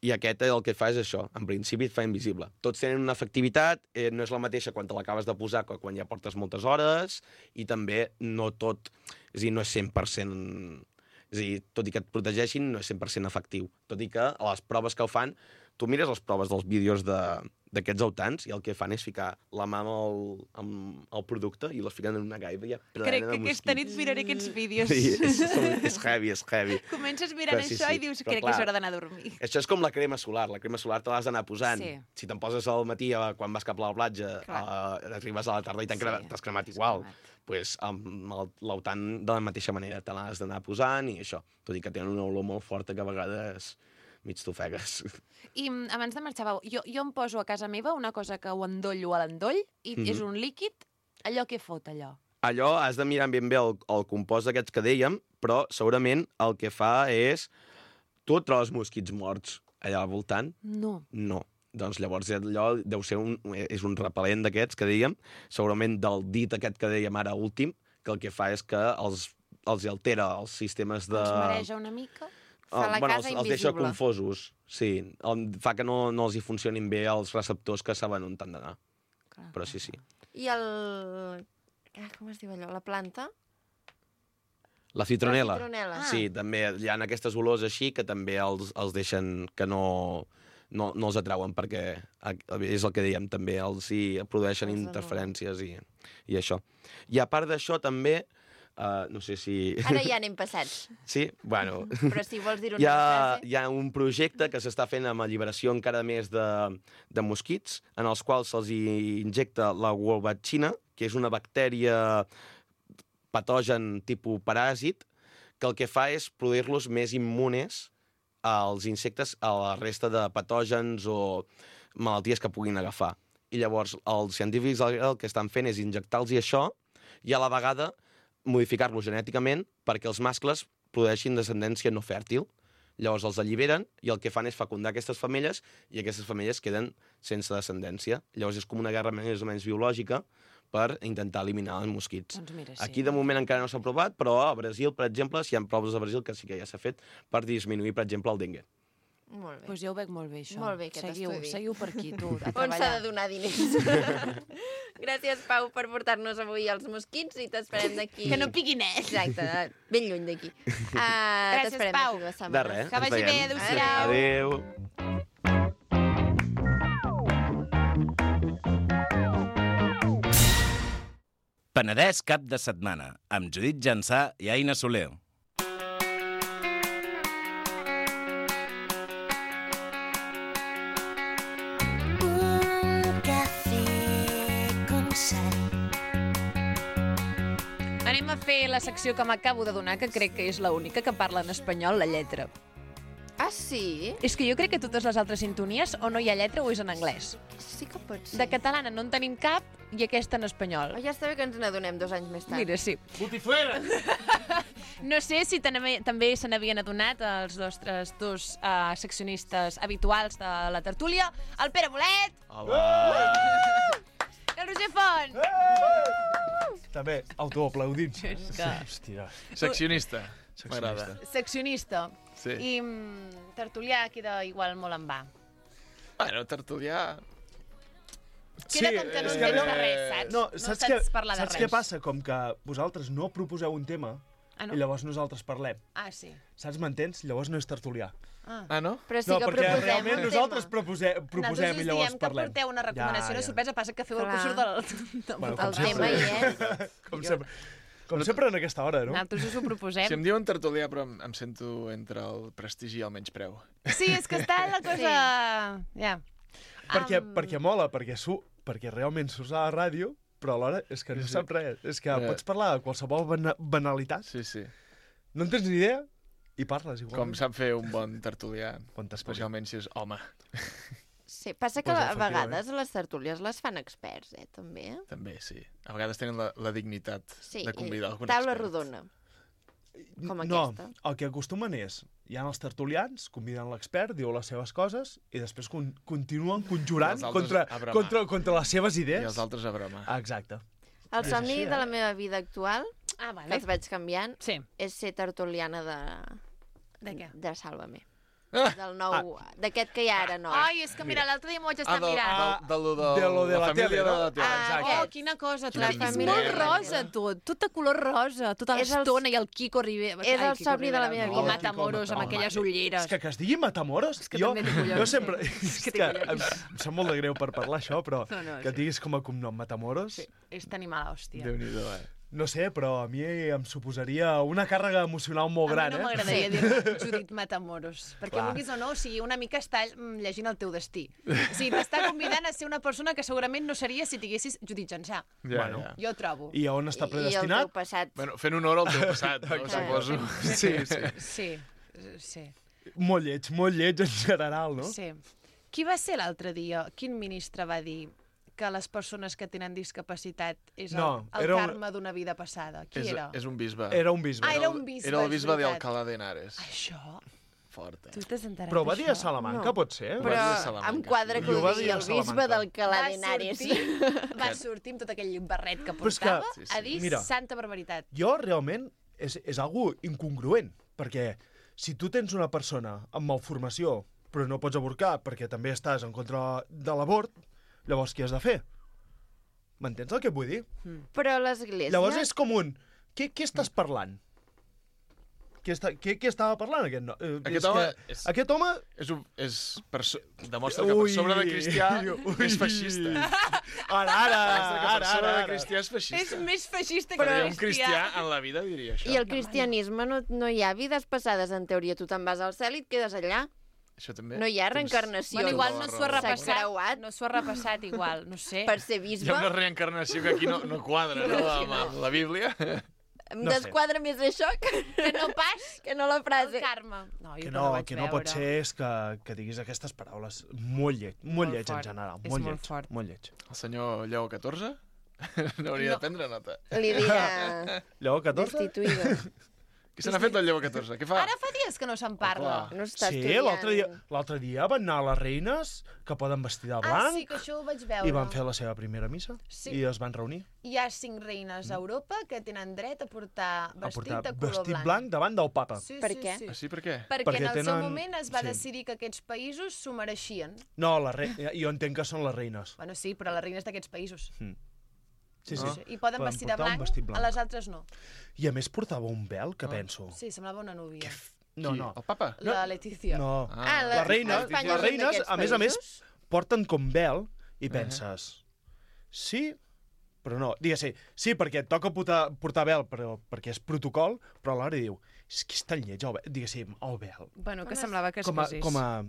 I aquest el que fa és això, en principi et fa invisible. Tots tenen una efectivitat, no és la mateixa quan te l'acabes de posar que quan ja portes moltes hores, i també no tot, és a dir, no és 100%... És a dir, tot i que et protegeixin, no és 100% efectiu. Tot i que a les proves que ho fan, tu mires les proves dels vídeos d'aquests autants i el que fan és ficar la mà amb el producte i les fiquen en una gaiva i ja plena Crec de que aquesta nit mosquits. miraré aquests vídeos. Sí, és heavy, és heavy. Comences mirant Però sí, això sí. i dius, Però crec que clar, és hora d'anar a dormir. Això és com la crema solar. La crema solar te l'has d'anar posant. Sí. Si te'n poses al matí quan vas cap a la platja, arribes a la tarda i t'has cremat igual. Pues, amb l'autant de la mateixa manera te l'has d'anar posant i això. Tot i que tenen una olor molt forta que a vegades mig t'ofegues. I abans de marxar, jo em poso a casa meva una cosa que ho endollo a l'endoll i és un líquid, allò que fot, allò. Allò has de mirar ben bé el compost d'aquests que dèiem, però segurament el que fa és... Tu et trobes mosquits morts allà al voltant? No. No. Doncs llavors allò deu ser és un repel·lent d'aquests que dèiem, segurament del dit aquest que dèiem ara últim, que el que fa és que els altera els sistemes de... Els mareja una mica. Fa la casa els deixa invisible. confosos, sí. Fa que no els hi funcionin bé els receptors que saben on han d'anar. Però sí, sí. I el... com es diu allò? La planta? La citronela. La citronela. Sí, també hi ha aquestes olors així que també els deixen que no els atrauen perquè és el que dèiem, també els hi produeixen Els interferències i això. I a part d'això també, no sé si... Ara ja anem passats. Sí? Bueno... Però si vols dir una Hi frase... ha un projecte que s'està fent amb alliberació encara més de mosquits, en els quals se'ls injecta la wolbachina, que és una bactèria patogen tipus paràsit, que el que fa és produir-los més immunes als insectes a la resta de patògens o malalties que puguin agafar. I llavors els científics el que estan fent és injectar-los això i a la vegada modificar-lo genèticament perquè els mascles produeixin descendència no fèrtil. Llavors els alliberen i el que fan és fecundar aquestes femelles i aquestes femelles queden sense descendència. Llavors és com una guerra més o menys biològica per intentar eliminar els mosquits. Doncs mira, sí. Aquí de moment encara no s'ha provat, però a Brasil, per exemple, si hi ha proves a Brasil que sí que ja s'ha fet per disminuir, per exemple, el dengue. Molt bé. Doncs ja ho veig molt bé, això. Molt bé, aquest estudi. Seguiu per aquí, tu, a On s'ha treballar. de donar diners? Gràcies, Pau, per portar-nos avui els mosquits i t'esperem d'aquí. Que no piquin, eh? Exacte, ben lluny d'aquí. Gràcies, T'esperem Pau. d'aquí 2 De setmanes. res. Que ens vagi bé, veiem. adéu-siau. Adéu. Penedès cap de setmana, amb Judit Jansà i Aina Soler. Un café con sal. Anem a fer la secció que m'acabo de donar, que crec que és l'única que parla en espanyol, la lletra. Ah, sí? És que jo crec que totes les altres sintonies o no hi ha lletra o és en anglès. Sí que pot ser. De catalana no en tenim cap i aquesta en espanyol. Oh, ja està bé que ens n'adonem 2 anys més tard. Mira, sí. Botifuera! No sé si també se n'havien adonat els nostres dos seccionistes habituals de la tertúlia, el Pere Bolet i el Roger Font. També, autoaplaudint. És que... Hòstia. Seccionista. M'agrada. Seccionista. Sí. I tertulià queda igual molt en va. Bueno, tertulià... Queda com que no és entens de res, saps? No, No saps, saps parlar de saps res. què passa? Com que vosaltres no proposeu un tema Ah, no? i llavors nosaltres parlem. Ah, sí. Saps, m'entens? Llavors no és tertulià. Ah, no? Però sí no, que perquè proposem realment un nosaltres tema. proposem Nosaltres i llavors diem parlem. que porteu una recomanació, una sorpresa, passa que feu el que Clar. surt del Bueno, El tema hi és. Com sempre. Com sempre en aquesta hora, no? Nosaltres us ho proposem. Si em diuen tertulià, però em sento entre el prestigi i el menyspreu. Sí, és que està la cosa... Ja. Perquè mola, perquè realment surts a la ràdio, però alhora és que no Sí, sí. saps res. És que pots parlar de qualsevol banalitat, Sí, sí. no en tens ni idea i parles igual. Com sap fer un bon tertulià, Bon tertulià. especialment si és home. Sí, passa que Pues, a efectivament. vegades les tertúlies les fan experts, també. També, sí. A vegades tenen la dignitat Sí, de convidar algun taula expert. rodona. Com no, aquesta. el que acostumen és, hi ha els tertulians, conviden l'expert, diu les seves coses, i després continuen conjurant I els altres a bramar. contra les seves I idees. els altres a bramar. Exacte. El És somni així, de la meva vida actual, Ah, que vale. els vaig canviant, Sí. és ser tertuliana De què? de Sálvame. Ah! Del nou, d'aquest que hi ha ara nou. Ai, és que mira, l'altre dia m'ho vaig estar mirant. De lo de la tele, família no? de la tele. Ah, Oh, quina cosa, La és família molt de la rosa, tele. tot de color rosa, tota És el- l'estona, i el Kiko Rivera. és el Ai, Kiko somni de la Rivera, meva I vida. Matamoros, amb Home, aquelles ulleres. És que es digui Matamoros, És que jo, també té collons, jo sempre... sí. És que té que collons. em sap molt de greu per parlar això, però No, no, que sí. diguis com a cognom Matamoros, Sí, és tenir mala hòstia. Déu-n'hi-do, no sé, però a mi em suposaria una càrrega emocional molt gran, A mi no eh? m'agradaria dir Judit Matamoros, perquè Clar. vulguis o no, o sigui, una mica està llegint el teu destí. O sigui, t'està convidant a ser una persona que segurament no seria si tinguessis Judit Jansà. Ja, Bueno. ja. Jo trobo. I a on està I el predestinat? teu passat. Bueno, fent honor al teu passat, no, suposo. Sí, sí. Sí, sí, Molt lleig en general, no? sí. Qui va ser l'altre dia? Quin ministre va dir que les persones que tenen discapacitat és No, el era un- karma d'una vida passada? Qui És, era? és un bisbe. Era un bisbe. Ah, era un bisbe, Era el és bisbe veritat. d'Alcalá de Henares. Això? Fort, Tu t'has enterat Però ho va dir a d'això? Salamanca, No. pot ser? Va dir Però a Salamanca, em quadra sí. que Jo ho va digui dir a el bisbe Salamanca. d'Alcalá de Henares. Va sortir amb tot aquell barret que Però és que- portava Sí, sí. a dir Mira. santa barbaritat. Jo realment és algo incongruent, perquè si tu tens una persona amb malformació però no pots avorcar perquè també estàs en contra de l'avort, llavors què has de fer? M'entens el que et vull dir? Però l'església... Llavors és com un... Què estàs parlant? Què estava parlant aquest no? Aquest home Aquest home... demostra que per sobre de cristià és feixista. Demostra que per sobre de cristià és És feixista. més feixista que Però un cristià. cristià en la vida diria això. I el cristianisme no hi ha vides passades, en teoria. Tu te'n vas al cel i et quedes allà. Això també. No hi ha reencarnació. Bueno, igual no s'ho ha S'ha repassat, creuat. no s'ho ha repassat igual, no sé. Per ser Hi bisbe. ha una reencarnació que aquí no quadra, no? Amb la Bíblia. Em No sé. desquadra més això que no pas que no la El frase. Carme. No, jo Que no no, la vaig que no pot veure. ser és que diguis aquestes paraules. Molt lleig en fort. general. És Molt molt lleig. fort. Molt lleig. El senyor Lleó XIV n'hauria de prendre nota. Li dirà Lleó 14? destituïda. Què se n'ha fet del Lleó XIV? Què fa? Ara fa dies que no se'n parla. No està Sí, estudiant. l'altre dia van anar les reines que poden vestir de blanc sí, que això ho vaig veure. i van fer la seva primera missa Sí. i es van reunir Hi ha 5 reines a Europa que tenen dret a portar a vestit portar de color vestit blanc. blanc davant del papa. Sí, Per sí, què? Sí. Ah, sí, per què? Perquè en el seu tenen- moment es va sí. decidir que aquests països s'ho mereixien. No, jo entenc que són les reines. Bueno, sí, però les reines d'aquests països. Sí, sí. I poden Poden vestir de portar un blanc, vestit blanc. a les altres no. I a més portava un vel, que penso. Sí, semblava una núvia. No, Qui? no. El papa? La Letícia. No. Ah, Les reines, Espanya les és reines d'aquests a més, països? porten com vel i penses... Sí, però no. Digues, sí, perquè et toca portar vel perquè és protocol, però alhora diu, és que és tan lleig el vel. Diguéssim, el vel. Bueno, que semblava que es Com a, casés.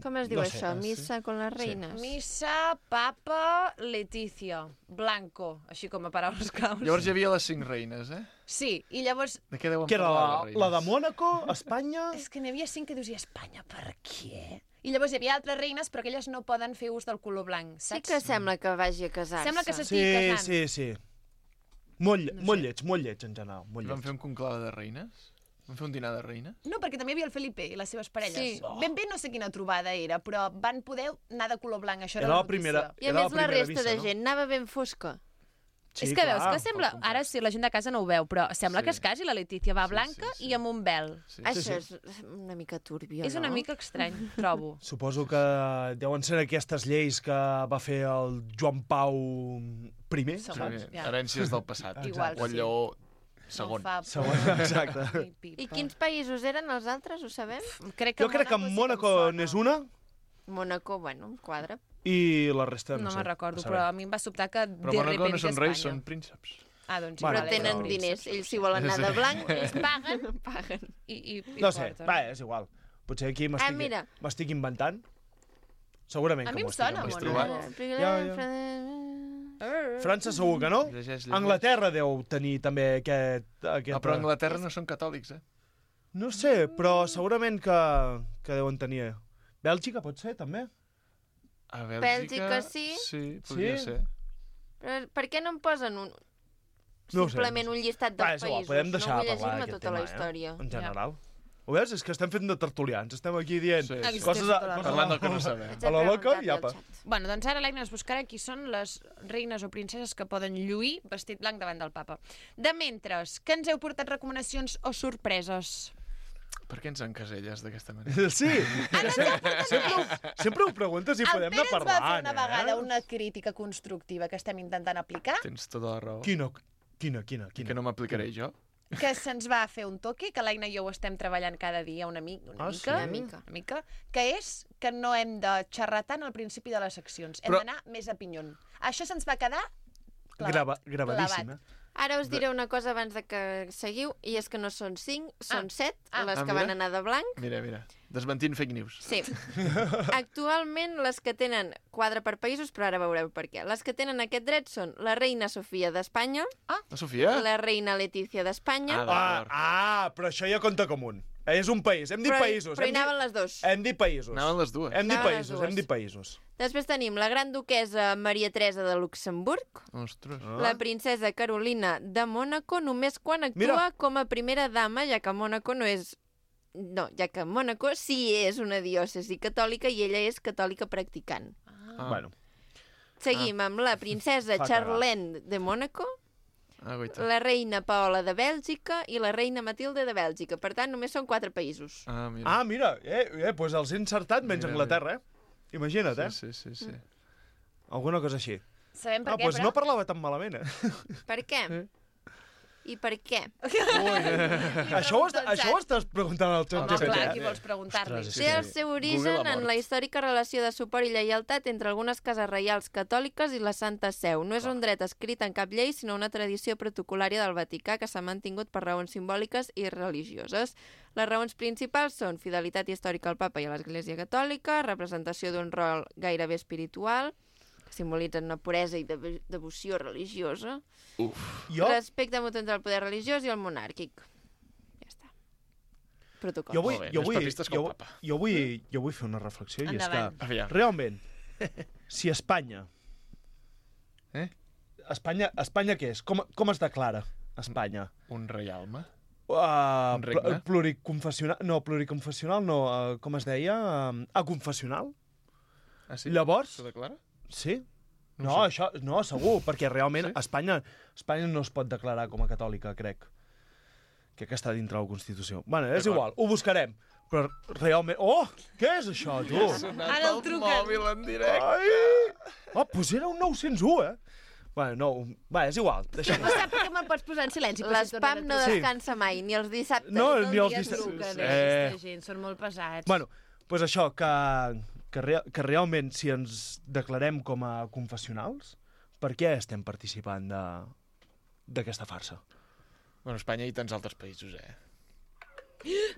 Com es diu no sé, això? Missa con les reines? Missa, papa, Letícia, blanco, així com a paraules claus. Llavors hi havia les 5 reines, eh? Sí, i llavors... De què deuen Que era parlar, les la de reines? Mónaco, Espanya... És que n'hi havia 5 que dius, i Espanya, per què? I llavors hi havia altres reines, però que elles no poden fer ús del color blanc, Sí saps? que sembla que vagi a casar-se. Sembla que Sí, s'estigui casant. sí. Molt lleig en general. Molt Van lleig. fer un conclave de reines? Van fer un dinar de reines? No, perquè també hi havia el Felipe i les seves parelles. Sí. Ben bé no sé quina trobada era, però van poder anar de color blanc, això era, Era la la primera- notícia. I a Era més la la primera resta vista, de no? gent anava ben fosca. Sí, És que veus clar, que sembla... pel Ara sí, la gent de casa no ho veu, però sembla Sí. que es casi la Letícia va blanca sí. i amb un vel. Sí. Això és una mica turbio, És una no? mica estrany, trobo. Suposo que deuen ser aquestes lleis que va fer el Joan Pau I, Sí, Segons, ja. herències del passat. Igual, O el sí. Lleó segon. No fa... Segon, exacte. Ai, pipa. I quins països eren els altres, ho sabem? Crec que Jo crec que Mónaco n'és una Mónaco, bueno, quadra. i la resta No no sé. me'n recordo, a saber. però a mi em va sobtar que Però de Mónaco repente no són reis, Espanya. són prínceps. Ah, doncs Bueno, Però vale, tenen però- diners. Ells si volen anar de blanc, ells paguen. Paguen. I No sé, porten. va, és igual. Potser aquí mira. m'estic inventant. Segurament A que mi m'ho em estic sona, inventant. Mónaco. França segur que no. Llegeix. Anglaterra deu tenir també aquest... Ah, però a Anglaterra no són catòlics, eh? No sé, però segurament que deuen tenir. Bèlgica pot ser, també. A Bèlgica sí? Sí, podria Sí? ser. Però per què no em posen No ho sé, simplement no sé. un llistat Va, dels és igual, països? podem deixar no de vull parlar llegir-me d'aquest tota la tema, història. En general. Ho veus? És que estem fent de tertulians. Estem aquí dient Sí, sí. coses, Tens tota la coses Parlant del que no sabem. Haig a la de loca preguntar-li i al apa. xat. Bueno, doncs ara l'Aina ens buscarà qui són les reines o princeses que poden lluir vestit blanc davant del papa. De mentres, que ens heu portat recomanacions o sorpreses? Per què ens encaselles d'aquesta manera? Sí, sempre ho preguntes i El podem Pere anar ens va fer parlant, una vegada una crítica constructiva que estem intentant aplicar, Tens tota la raó. Quina? Que no m'aplicaré jo? que se'ns va fer un toque, que l'Aina i jo ho estem treballant cada dia una mica, sí? Una mica. que és que no hem de xerrar tant al principi de les seccions. Hem Però- d'anar més a pinyon. Això se'ns va quedar Gravadíssim, clavat. Ara us diré una cosa abans de que seguiu, i és que no són 5, són 7 les Ah, que mira. van anar de blanc. Mira. Desmentint fake news. Sí. Actualment, les que tenen quadre per països, però ara veureu per què. Les que tenen aquest dret són la reina Sofia d'Espanya, La Sofia? la reina Letícia d'Espanya, Però això ja compta com un. És un país. Hem dit països. però hi anaven les dos. Hem dit països. Anaven les dues. Hem dit Anaven les països, dues. hem dit països. Després tenim la gran duquesa Maria Teresa de Luxemburg, Ostres. la princesa Carolina de Mònaco, només quan actua Mira. com a primera dama, ja que Mònaco no és... No, ja que Mònaco sí és una diòcesi catòlica i ella és catòlica practicant. Bueno, Seguim amb la princesa Fa cagar. Charlene de Mònaco, Ah, guaita. la reina Paola de Bèlgica i la reina Matilde de Bèlgica. Per tant, només són 4 països. Ah, mira. mira, doncs els he encertat menys Mira, Anglaterra, eh? Imagina't, eh? Sí. Alguna cosa així. Sabem per què, Doncs però... no parlava tan malament, eh? Per què? I per què? Això ho estàs preguntant al xat Home, clar, GPT, qui vols preguntar-li? Ostres, Té el seu origen en la històrica relació de suport i lleialtat entre algunes cases reials catòliques i la Santa Seu. No és un dret escrit en cap llei, sinó una tradició protocolària del Vaticà que s'ha mantingut per raons simbòliques i religioses. Les raons principals són fidelitat històrica al papa i a l'Església Catòlica, representació d'un rol gairebé espiritual, que simbolitzen una puresa i devoció religiosa, Jo, respecte mutu entre el poder religiós i el monàrquic. Ja està. Protocol. jo, vull, Molt bé, jo, més vull, papistes que el jo, papa. jo vull fer una reflexió, i és Endavant. que, Aviam. realment, si Espanya... Espanya què és? Com es declara Espanya? Un reialme? Uh, regne? Pluriconfessional no, com es deia? Aconfessional? Ah, sí? Llavors, S'ho declara? sí. No No, ho això, no, segur, perquè realment Sí? Espanya no es pot declarar com a catòlica, crec. Que està dintre la Constitució. Bueno, és D'acord. igual, ho buscarem. Però realment... Oh, què és això, tu? Ara el truquen. mòbil en directe. Ai! Oh, doncs era un 901, Bueno, no, és igual, deixem-ho. No sap que me'l pots posar en silenci. per si L'espam tornen a no Sí. descansa mai, ni els dissabtes. No, trucar. ni els Tot el dia dissabtes. truquen, aquesta gent, són molt pesats. Bueno, doncs això, que realment si ens declarem com a confessionals, per què estem participant d'aquesta farsa? Bueno, Espanya i tants altres països,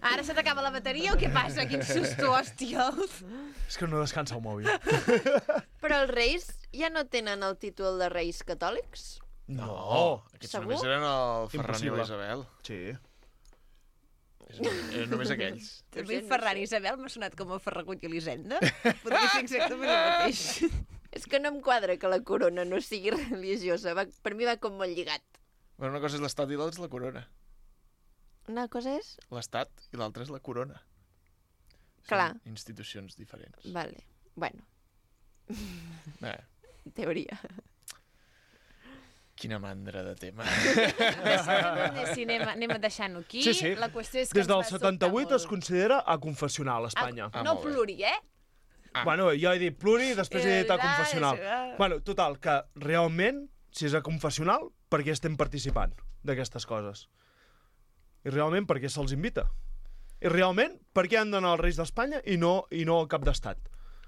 Ara se t'acaba la bateria o què passa? Quin susto, hòstia. És que no descansa el mòbil. Però els reis ja no tenen el títol de reis catòlics? No. Aquests Segur? només eren el Ferran i Impossible. la Isabel. Sí. Eren només aquells. A mi Ferran i Isabel m'ha sonat com a Ferragut i Elisenda. Podria ser exactament el mateix. És que no em quadra que la corona no sigui religiosa. Per mi va com molt lligat. Bueno, una cosa és l'estat i l'altra és la corona. Una cosa és... L'estat i l'altra és la corona. Clar. Són institucions diferents. Vale. Bueno, Eh, en teoria. quina mandra de tema. Sí, anem deixant-ho aquí. Sí, sí. La qüestió és que Des del ens va sobtar 78 es molt. considera aconfessional, Espanya. Ah, No molt bé. pluri, Bueno, jo he dit pluri i després he dit Ah, aconfessional. sí, ah. Bueno, total, que realment, si és aconfessional, per què estem participant d'aquestes coses? I realment, per què se'ls invita? I realment, per què han d'anar els reis d'Espanya i no el cap d'estat?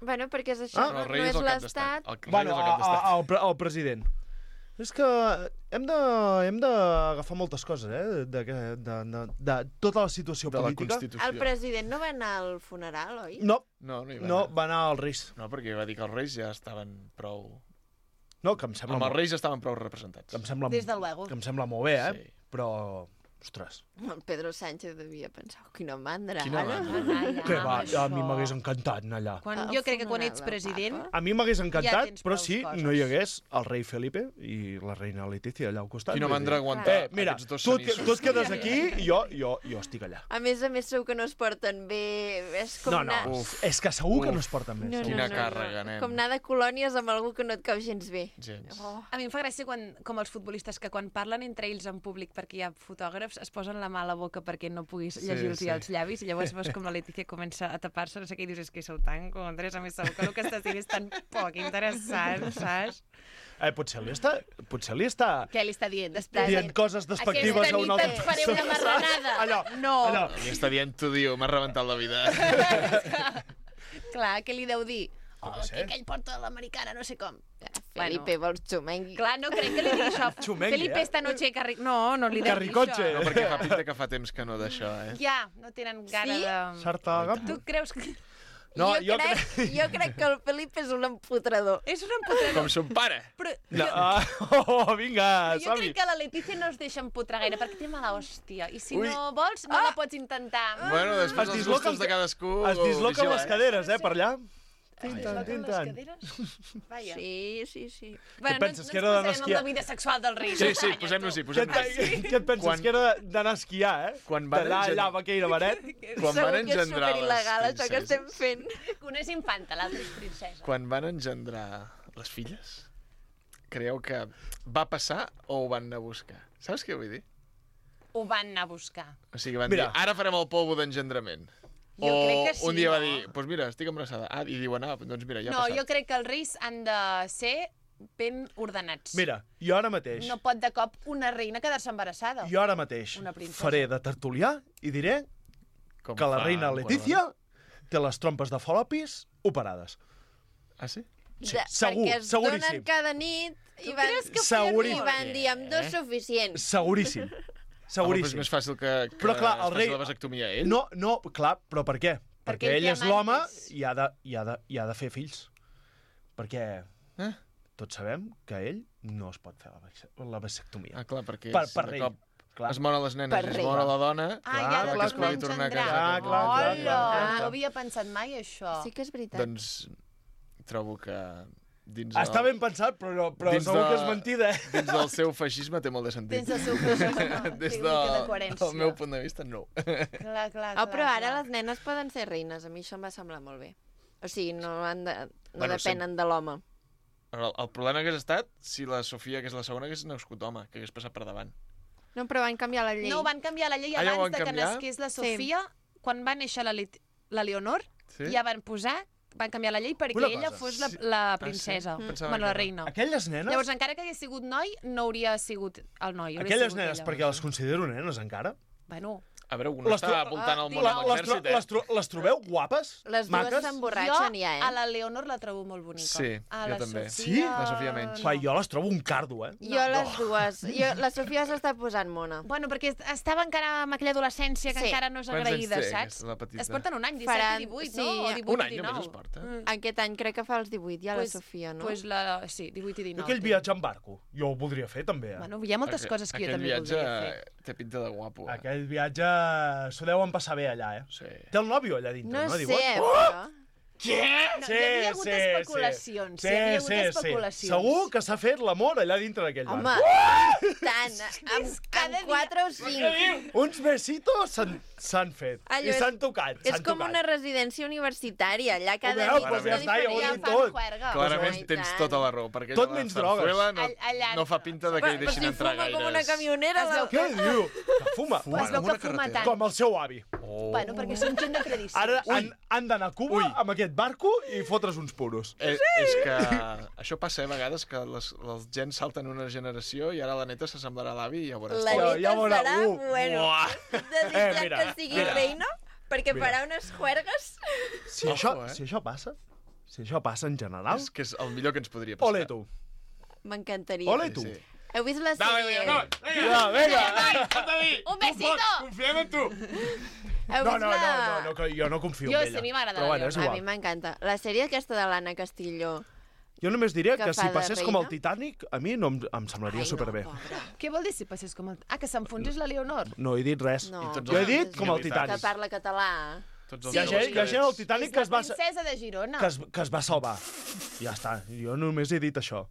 Bueno, perquè és això, No, el no rei és és el cap l'estat. d'estat. El rei Bueno, és el cap d'estat. el president. És que hem d'agafar moltes coses, de tota la situació De la política. Constitució. El president no va anar al funeral, oi? No, No, no hi va no, anar. va anar als reis. No, perquè va dir que els reis ja estaven prou... No, que em sembla, Amb els reis ja estaven prou representats. que em sembla, Des de luego. que em sembla molt bé, Sí. Però, ostres, El Pedro Sánchez devia pensar, quina mandra, Quina ara. mandra. que va, a mi m'hagués encantat anar allà. Jo crec que quan ets Funeral del president... Papa. A mi m'hagués Ja encantat, tens però prous si coses. no hi hagués el rei Felipe i la reina Letícia allà al costat. Quina vull mandra dir, aguantar mira, aquests dos tu cenissos. et quedes aquí i jo estic allà. A més segur que no es porten bé. És com No, anar... Uf. és que segur que Uf. no es porten bé. No, segur. Quina càrrega, nen. Com anar de colònies amb algú que no et cau gens bé. Gens. Oh. A mi em fa gràcia com els futbolistes que quan parlen entre ells en públic perquè hi ha fotògrafs es posen la mà a la boca perquè no puguis llegir-los sí. els llavis i llavors veus com la Letícia comença a tapar-se, no sé què, i dius, és que sou tan contres, a més segur que el que estàs dient és tan poc interessant, saps? Potser li està Què li està dient? Després dient coses despectives aquesta a un nit altre. et faré una marranada. Allò. Li està dient, tu diu, m'has rebentat la vida. Clar, què li deu dir? no Oh, sé. que ell porta l'americana, no sé com. Felipe, vols xumengui? Clar, no crec que li digui això. Xumengui, Felipe esta noche carri... No li deu dir Carricotxe. això. No, perquè fa pinta que fa temps que no d'això, Ja, no tenen gana Sí? de... Sarta Tu creus que... No, jo crec que el Felipe és un empotrador. És un empotrador. Com son pare. Però No, vinga, jo som-hi. crec que la Letícia no es deixa empotrar gaire perquè té mala hòstia. I si Ui. no vols, no la pots intentar. Bueno, després Es dels disloquen- gustos de cadascú... Es disloquen vigila, les caderes, per allà. Tintant. Vaja. Sí. Bueno, penses, no que era d'anar a ens posarem esquiar? amb la vida sexual del rei. Sí, d'Espanya, posem-nos-hi, tu. posem-nos-hi. Què et penses? Quan- Que era d'anar a esquiar, Quan van D'anar allà engendrar- amb aquell baret? Quan van Segur que és engendrar les superil·legal això que estem princeses, fent. Una és infanta, l'altra és princesa. quan van engendrar les filles, creieu que va passar o ho van anar a buscar? Saps què vull dir? Ho van anar a buscar. O sigui, van Mira. dir, ara farem el polvo d'engendrament. Jo crec que sí, un dia va no? dir, doncs pues mira, estic embarassada. Ah, i diuen, doncs mira, ja ha No, passat. jo crec que els reis han de ser ben ordenats. Mira, jo ara mateix, No pot de cop una reina quedar-se embarassada. jo ara mateix Una princesa. faré de tertulià i diré Com que la fa reina en Letícia té les trompes de Falopis operades. Qualsevol- Ah, sí? Sí, segur, perquè es seguríssim. donen cada nit i van, Seguríssim. i van dir amb dos suficients. Seguríssim. Home, però és Seguríssim. més fàcil que Però clar, el es rei... faci la vasectomia ell. No, clar, però per què? Perquè ell ell té és l'home amantes. i ha de fer fills. Perquè... tots sabem que ell no es pot fer la vasectomia. Ah, clar, perquè Per de rei. cop Clar. es moren les nenes Per i es rei. mor la dona... Ja clar, que es pugui tornar a casa. Clar. No havia pensat mai això. Sí que és veritat. Doncs trobo que dins Està ben pensat, però dins segur de- que és mentida, dins del seu feixisme té molt de sentit. Dins del seu feixisme, Des té una mica de coherència. del meu punt de vista, no. Clar. Però ara les nenes poden ser reines. A mi això em va semblar molt bé. O sigui, no Bueno, depenen de l'home. El problema hagués estat si la Sofia, que és la segona, hagués nascut home, que hagués passat per davant. No, però van canviar la llei. No, van canviar la llei Ah, ja ho abans van de que canviar? nasqués la Sofia. Quan va néixer la Leonor, Sí? ja van canviar la llei perquè Una ella cosa, fos sí. la princesa, Pensava bueno, que la no. reina. Aquelles nenes, Llavors, encara que hagués sigut noi, no hauria sigut el noi. hauria aquelles sigut nenes, ella. perquè les considero nenes encara, Bueno, A veure, una està voltant al món amb l'exèrcit, les trobeu guapes? Les dues Maques? s'emborratxen ja, a la Leonor la trobo molt bonica. Sí, a jo la també. Sí? La Sofia menys. Clar, jo les trobo un cardo, Jo les dues. La Sofia s'està posant mona. Bueno, perquè estava encara amb aquella adolescència que Sí. encara no és Quants agraïda, anys té, saps? la petita? Es porten un any, 17 Faran- i 18, sí, no? O 18 Un any i només 19. es porta. Aquest any crec que fa els 18 ja la Sofia, no? Pues sí, 18 i 19. Jo aquell viatge en barco, jo ho voldria fer també, Bueno, hi ha moltes coses que jo Aquell també viatge voldria fer. té pinta de guapo. Aquell viatge s'ho deuen passar bé allà, Sí. Té el nòvio allà dintre, No no? sé, Diuen? però... Què? No, hi havia hagut especulacions, hi havia hagut especulacions. Segur que s'ha fet l'amor allà dintre d'aquell Home, barco. tant, amb 4 o 5. Uns besitos s'han fet Allò i és- s'han tocat. És com una residència universitària, allà cada Ho nit veus? és Pues ja està, ja ho he diferent. dit tot. Clarament Ai, tens tant. tota la raó, perquè Tot allò de menys drogues. Zarzuela Allà- no fa pinta de que hi Però deixin si entrar fuma gaires. com una camionera... Es veu Què diu? Que fuma. Es veu que fuma tant. Com el seu avi. Bueno, perquè són gent de tradició. Ara han d'anar a Cuba amb aquest barco i fotre's uns puros. És que això passa a vegades, que les gens salten una generació i ara la neta s'assemblarà a l'avi i ja veuràs. La Ja neta veurà, serà, bueno, Uah. desitjant mira, que sigui mira. reina, perquè Mira. farà unes juergues. Si Ojo, això passa en general, És que és el millor que ens podria passar. ole tu. M'encantaria. Ole tu. Sí. Heu vist la sèrie? Ja, vinga. Un besito! Confiem en tu! Heu No, vist no, la... no, que jo no confio Jo en sí, ella. a mi m'agrada Però la bueno, és A mi igual. m'encanta. La sèrie aquesta de l'Anna Castilló. Jo només diré que que fa si de passés com reina. el Titanic, a mi no em semblaria Ai, superbé. no, pobra. Què vol dir si passés com el... Ah, que s'enfonsés la Leonor? No he dit res. No, tots Jo he els- dit com el Que que Titanic. parla català. Tots els Hi ha joves gent al Titanic És que es va... la princesa de Girona. que es va salvar. Ja està. Jo només he dit això.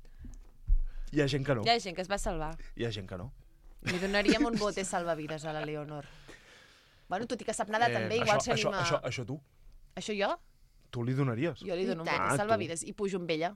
Hi ha gent que no. Hi ha gent que es va salvar. Hi ha gent que no. Li donaríem un bote salvavides a la Leonor. Bueno, tot i que sap nedar també, igual s'anima... Això tu. Això jo? Tu li donaries? Jo li dono un I tant. bote Ah, salvavides i pujo amb ella.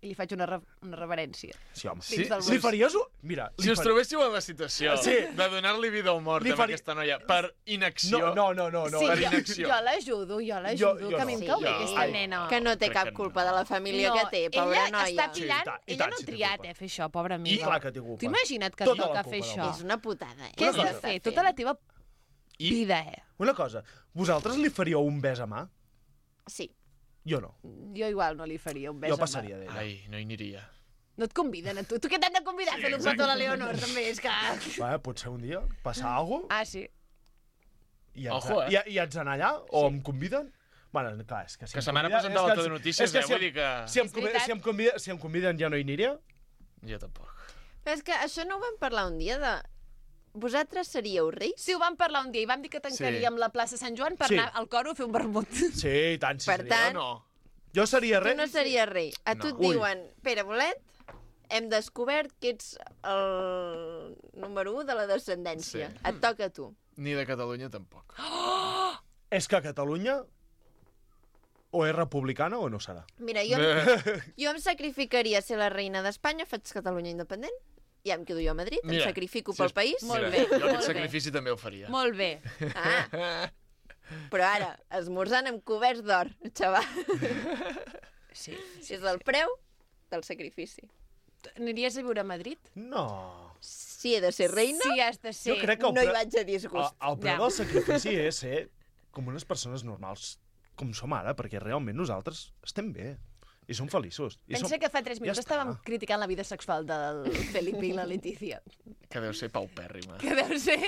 I li faig una reverència. Sí, home. Dins del Li bus. faries... Mira, Si us trobéssiu en la situació Sí. de donar-li vida o mort a aquesta noia per inacció... No. Sí, per jo inacció. l'ajudo, Jo que a mi em no. cau bé Sí. aquesta nena. Que no té Crec cap que no. culpa de la família que té, pobra ella noia. està pillant, i ella tant, no sí ha té triat, culpa. fer això, pobra amiga. Clar que té culpa. T'ho imagina't que Tota la toca culpa fer de la això? És una putada, Què has Què de està fer? fent? Tota la teva I vida, Una cosa, vosaltres li faríeu un bes a mà? Sí. Jo no. Jo igual no li faria un bes Jo a mà. passaria d'ella. Ai, no hi aniria. No et conviden a tu. Tu què t'han de convidar a fer un petó a la Leonor, també? És que... Va, potser un dia passar alguna cosa Ah, sí. i Ojo, i haig d'anar allà o em conviden. Bueno, clar, és que si Que em sa mare convida- presentava és que tot de notícies, és que vull dir que... Si em, És convida, veritat. si em conviden ja no hi aniria? Jo tampoc. Però és que això no ho vam parlar un dia de... Vosaltres seríeu reis? Sí, ho vam parlar un dia i vam dir que tancaríem la plaça Sant Joan per Sí. anar al coro a fer un vermut. Sí, i tant. Sí, Per seria. tant, No. Jo seria tu rei. no series rei. A tu et Ui. diuen, Pere Bolet, hem descobert que ets el número 1 de la descendència. Sí. Et toca a tu. Ni de Catalunya tampoc. És que Catalunya o és republicana o no serà. Mira, jo em sacrificaria ser la reina d'Espanya, faig Catalunya independent, ja em quedo jo a Madrid, em Mira, sacrifico si pel és- país. Molt Mira, bé, jo molt aquest bé. sacrifici també ho faria. Molt bé. Ah, però ara, esmorzant amb coberts d'or, xaval. Sí. És el preu del sacrifici. Aniries a viure a Madrid? No. Si he de ser reina, Sí, has de ser. Jo crec que no hi vaig a disgust. el preu Ja. del sacrifici és ser com unes persones normals com som ara, perquè realment nosaltres estem bé i som feliços. I Pensa que fa 3 minuts Ja està. estàvem criticant la vida sexual del Felipe i la Letícia. Que deu ser paupèrrima. Que deu ser...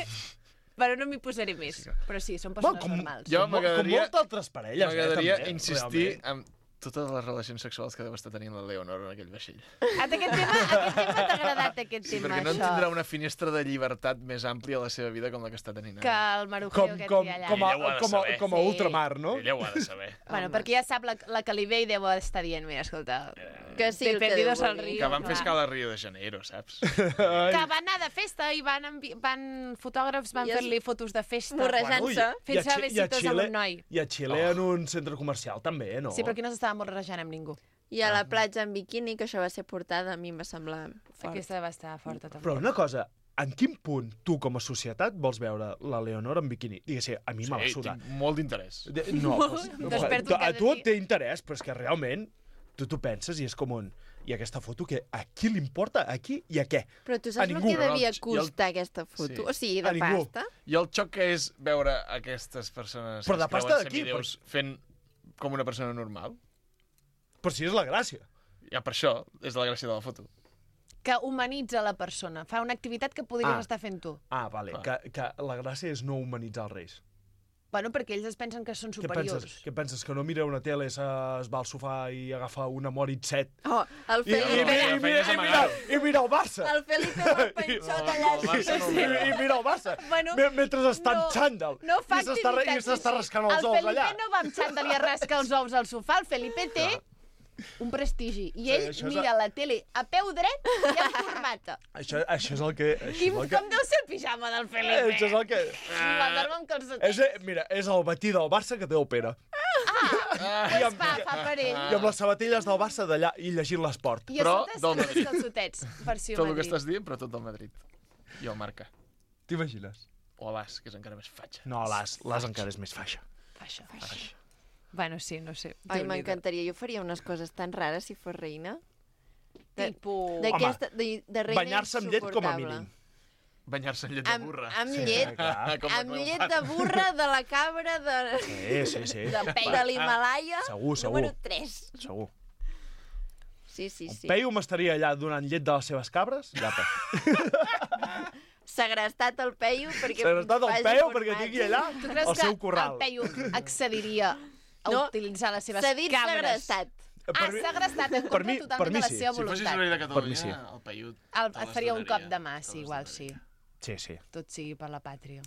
Però no m'hi posaré més. Però sí, són persones normals. Jo Com moltes altres parelles, M'agradaria també, insistir realment. en totes les relacions sexuals que deu estar tenint la Leonor en aquell vaixell. Aquest tema t'ha agradat, aquest Sí, tema, perquè no això. tindrà una finestra de llibertat més àmplia a la seva vida com la que està tenint Que ara. el marujeo aquest que hi ha allà. Ella ho ha de saber. com a ultramar, no? Ella ho ha de saber. Bueno, perquè ja sap la que li ve i deu estar dient, mira, escolta... Que sí, el que Perdidos Déu al vulgui. río. Que van fer escala a Rio de Janeiro, saps? Que van anar de festa i fotògrafs van I es- fer-li fotos de festa. Morrejant-se. Fent-se besitos amb un noi. I a Xile en un centre comercial també, no? Sí, però aquí no s'estava morrejant amb ningú. I a la platja en biquini, que això va ser portada, a mi em va semblar fort. Aquesta va estar forta, també. Però una cosa, en quin punt tu com a societat vols veure la Leonor en biquini? Digues, a mi me la suda. tinc molt d'interès. No, Desperto a cada tu dia. té interès, però és que realment tu t'ho penses i és com un... I aquesta foto, que a qui li importa? A qui i a què? Però tu A saps el ningú. que devia I el- costar aquesta foto? Sí. O sigui, A de ningú. pasta? I el xoc que és veure aquestes persones Però de que es pasta creuen d'aquí, semideus fent com una persona normal. Però si és la gràcia. Ja per això és la gràcia de la foto. Que humanitza la persona. Fa una activitat que podries estar fent tu. Ah, vale, que la gràcia és no humanitzar els reis. Bueno, perquè ells es pensen que són Què superiors. penses? Que no mira una tele, es va al sofà i agafa una Moritz 7? Oh, el Felipe... I mira el Barça. El Felipe amb el penxot allà. I mira el Barça. Bueno, Mentre està en xàndal. No fa I s'està rascant els el ous Felipe allà. no va amb xandall i es rasca els ous al sofà. El Felipe té un prestigi. I ell això és mira la tele a peu dret i amb corbata. Això és el que... I com deu ser el pijama del Felipe? Això és el que... La dorm amb calçotets. Mira, és el batí del Barça que té el Pere. Doncs fa per ell. I amb les sabatilles del Barça d'allà i llegint l'esport. I a sota amb els calçotets. Versió Tot el que Madrid. estàs dient, però tot del Madrid. I el Marca. T'imagines? O l'As, que és encara més fatxa. No, l'As encara és més faixa. Faixa. Bueno, sí, no sé. Ai, m'encantaria. Jo faria unes coses tan rares si fos reina. Tipo... D'aquesta, de reina Banyar-se amb llet com a insuportable. mínim. Banyar-se amb llet de burra. Amb llet, Com amb llet de burra, de la cabra, Sí. de l'Himalaya, Segur. número 3. Segur. Sí. Peyu m'estaria allà donant llet de les seves cabres? Llapa. Segrestat el Peyu perquè Segrestat el faci Peyu formatge. perquè tingui allà Tu creus el que seu corral. el Peyu accediria a No, utilitzar les seves s'ha dit cabres? segrestat. Segrestat en per contra mi totalment de la sí. seva Si fossis voluntat. rei de Per mi Catalunya, sí. el Paiut Et faria un cop de mà, sí, igual sí. Sí. Tot sigui per la pàtria.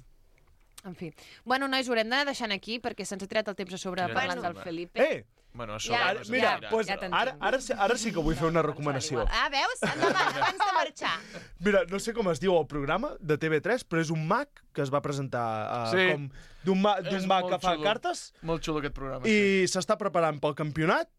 En fi. Bueno, nois, ho haurem d'anar deixant aquí perquè se'ns ha tirat el temps a sobre Mira, parlant bueno. del Felipe. Bueno, a Ja, sobre no Mira, s'ho pues, ja t'entenc. ara sí que vull fer una recomanació. Ah, veus? Endavant, abans de marxar. Mira, no sé com es diu el programa de TV3, però és un mag que es va presentar Sí. com d'un mag És que molt fa xulo. cartes Molt xulo aquest programa. i s'està preparant pel campionat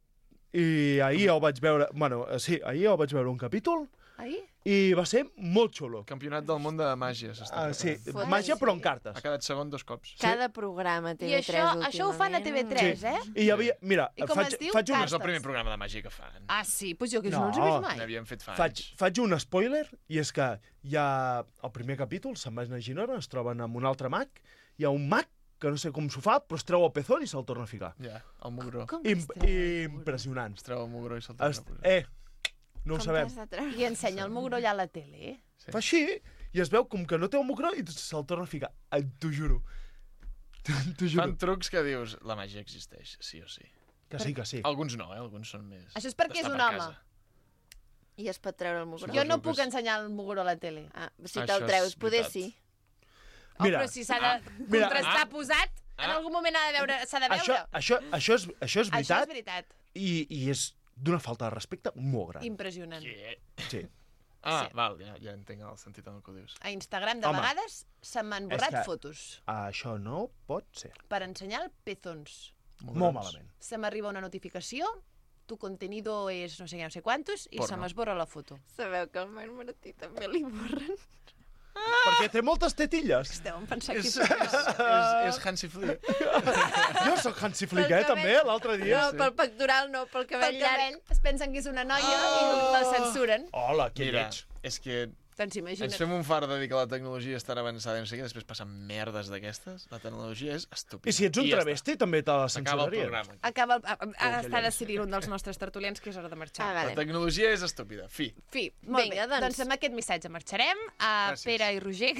i ahir el vaig veure... Bueno, sí, ahir el vaig veure un capítol Ahir? i va ser molt xulo. Campionat del món de màgia s'està Sí, preparant. màgia però en cartes. Ha quedat segon 2 cops. Cada programa I TV3 això ho fan a TV3, eh? I hi havia... Mira, I com faig, es diu? faig, un, No és el primer programa de màgia que fan. Ah, sí? Doncs jo que No. no els he vist mai. N'havíem fet fa faig, anys. faig un spoiler i és que hi ha el primer capítol, se'n van a Ginona, es troben amb un altre mag, hi ha un mag que no sé com s'ho fa, però es treu el pezón i se'l torna a ficar. Ja, el mugró. Com Impressionant. Es treu el mugró i se'l torna a posar. No ho sabem. I ensenya el mugró allà a la tele. Sí. Fa així i es veu com que no té el mugró i se'l torna a ficar. T'ho juro. T'ho juro. Fan trucs que dius, la màgia existeix, sí o sí. Que sí, que sí. Alguns no, alguns són més... Això és perquè és d'estar un per home. casa. I es pot treure el mugró. Jo no Suposo que puc és- ensenyar el mugró a la tele. Ah, si Això te'l és treus, poder veritat. sí. Mira, Però si s'ha de mira, contrastar posat, en algun moment s'ha de veure. Això és Això és veritat veritat. i és d'una falta de respecte molt gran. Impressionant. Sí. Ah, Sí. val, ja entenc el sentit en el que ho dius. A Instagram, de Home, vegades, se m'han és borrat que- fotos Això no pot ser. per ensenyar pezons. Molt malament. Se m'arriba una notificació, tu contenido és no sé què, no sé quantos, i Porno. se m'esborra la foto. Sabeu que al Marc Martí també li borren. Perquè té moltes tetilles. Esteu pensant És, que... és Hansi Flick. Jo sóc Hansi Flick, Pel també, cabell. l'altre dia. No, pel pectoral no, pel cabell Pel llarg. cabell es pensen que és una noia i la censuren. Hola, que Mira, lleig. és que Doncs imagina't. Ens fem un far de dir que la tecnologia és tan avançada i no sé què, després passen merdes d'aquestes. La tecnologia és estúpida. I si ets un travesti, també te la S'acaba el censuraries. programa. Està decidint un dels nostres tertulians que és hora de marxar. La tecnologia és estúpida. Fi. Molt Vinga, bé, doncs amb aquest missatge marxarem. Pere i Roger,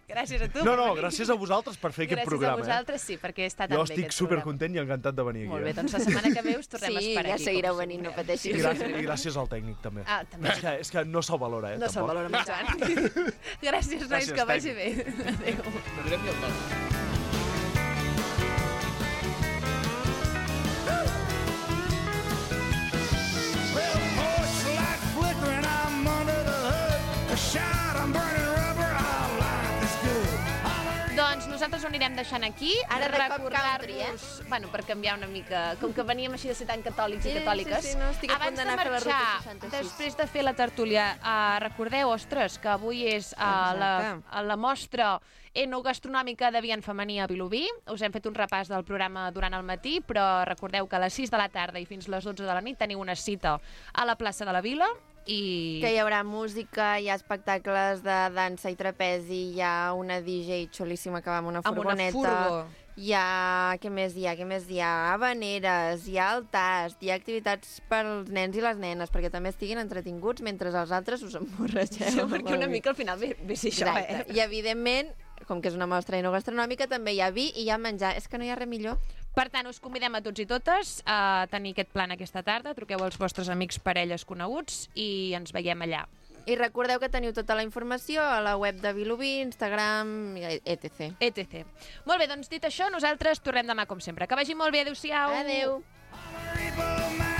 gràcies a tu. No, gràcies a vosaltres per fer aquest programa. Gràcies a vosaltres, sí, perquè està tan Jo bé estic aquest supercontent i encantat de venir aquí. Molt bé, doncs la setmana que ve us tornem a esperar aquí. Sí, ja seguireu venint, no pateixis. I gràcies al tècnic, també. També. És que no se'l valora, No se'l valora, molt Joan. Gràcies, nois, que vagi bé. Adéu. Madrem i el tot. Doncs nosaltres ho anirem deixant aquí. Ara de cop country, Bueno, per canviar una mica. Com que veníem així de ser tan catòlics i catòliques. Sí, no, estic a punt d'anar a fer la ruta 66. Després de fer la tertúlia, recordeu, ostres, que avui és la mostra enogastronòmica de viand femení a Vilobí. Us hem fet un repàs del programa durant el matí, però recordeu que a les 6 de la tarda i fins a les 12 de la nit teniu una cita a la plaça de la Vila. I... Que hi haurà música, hi ha espectacles de dansa i trapezi, hi ha una DJ xulíssima que va amb una furgoneta. Amb una furgo. Hi ha... Què més hi ha? Habaneres, hi ha el tast, hi ha activitats pels nens i les nenes, perquè també estiguin entretinguts mentre els altres us emborratxeu. Sí, perquè una mica al final ve ser això, Exacte. I evidentment, com que és una mostra enogastronòmica, també hi ha vi i hi ha menjar. És que no hi ha res millor. Per tant, us convidem a tots i totes a tenir aquest plan aquesta tarda. Truqueu als vostres amics, parelles, coneguts i ens veiem allà. I recordeu que teniu tota la informació a la web de Vilobí, Instagram, etc. Molt bé, doncs dit això, nosaltres tornem demà com sempre. Que vagi molt bé, adéu-siau. Adéu. Adéu.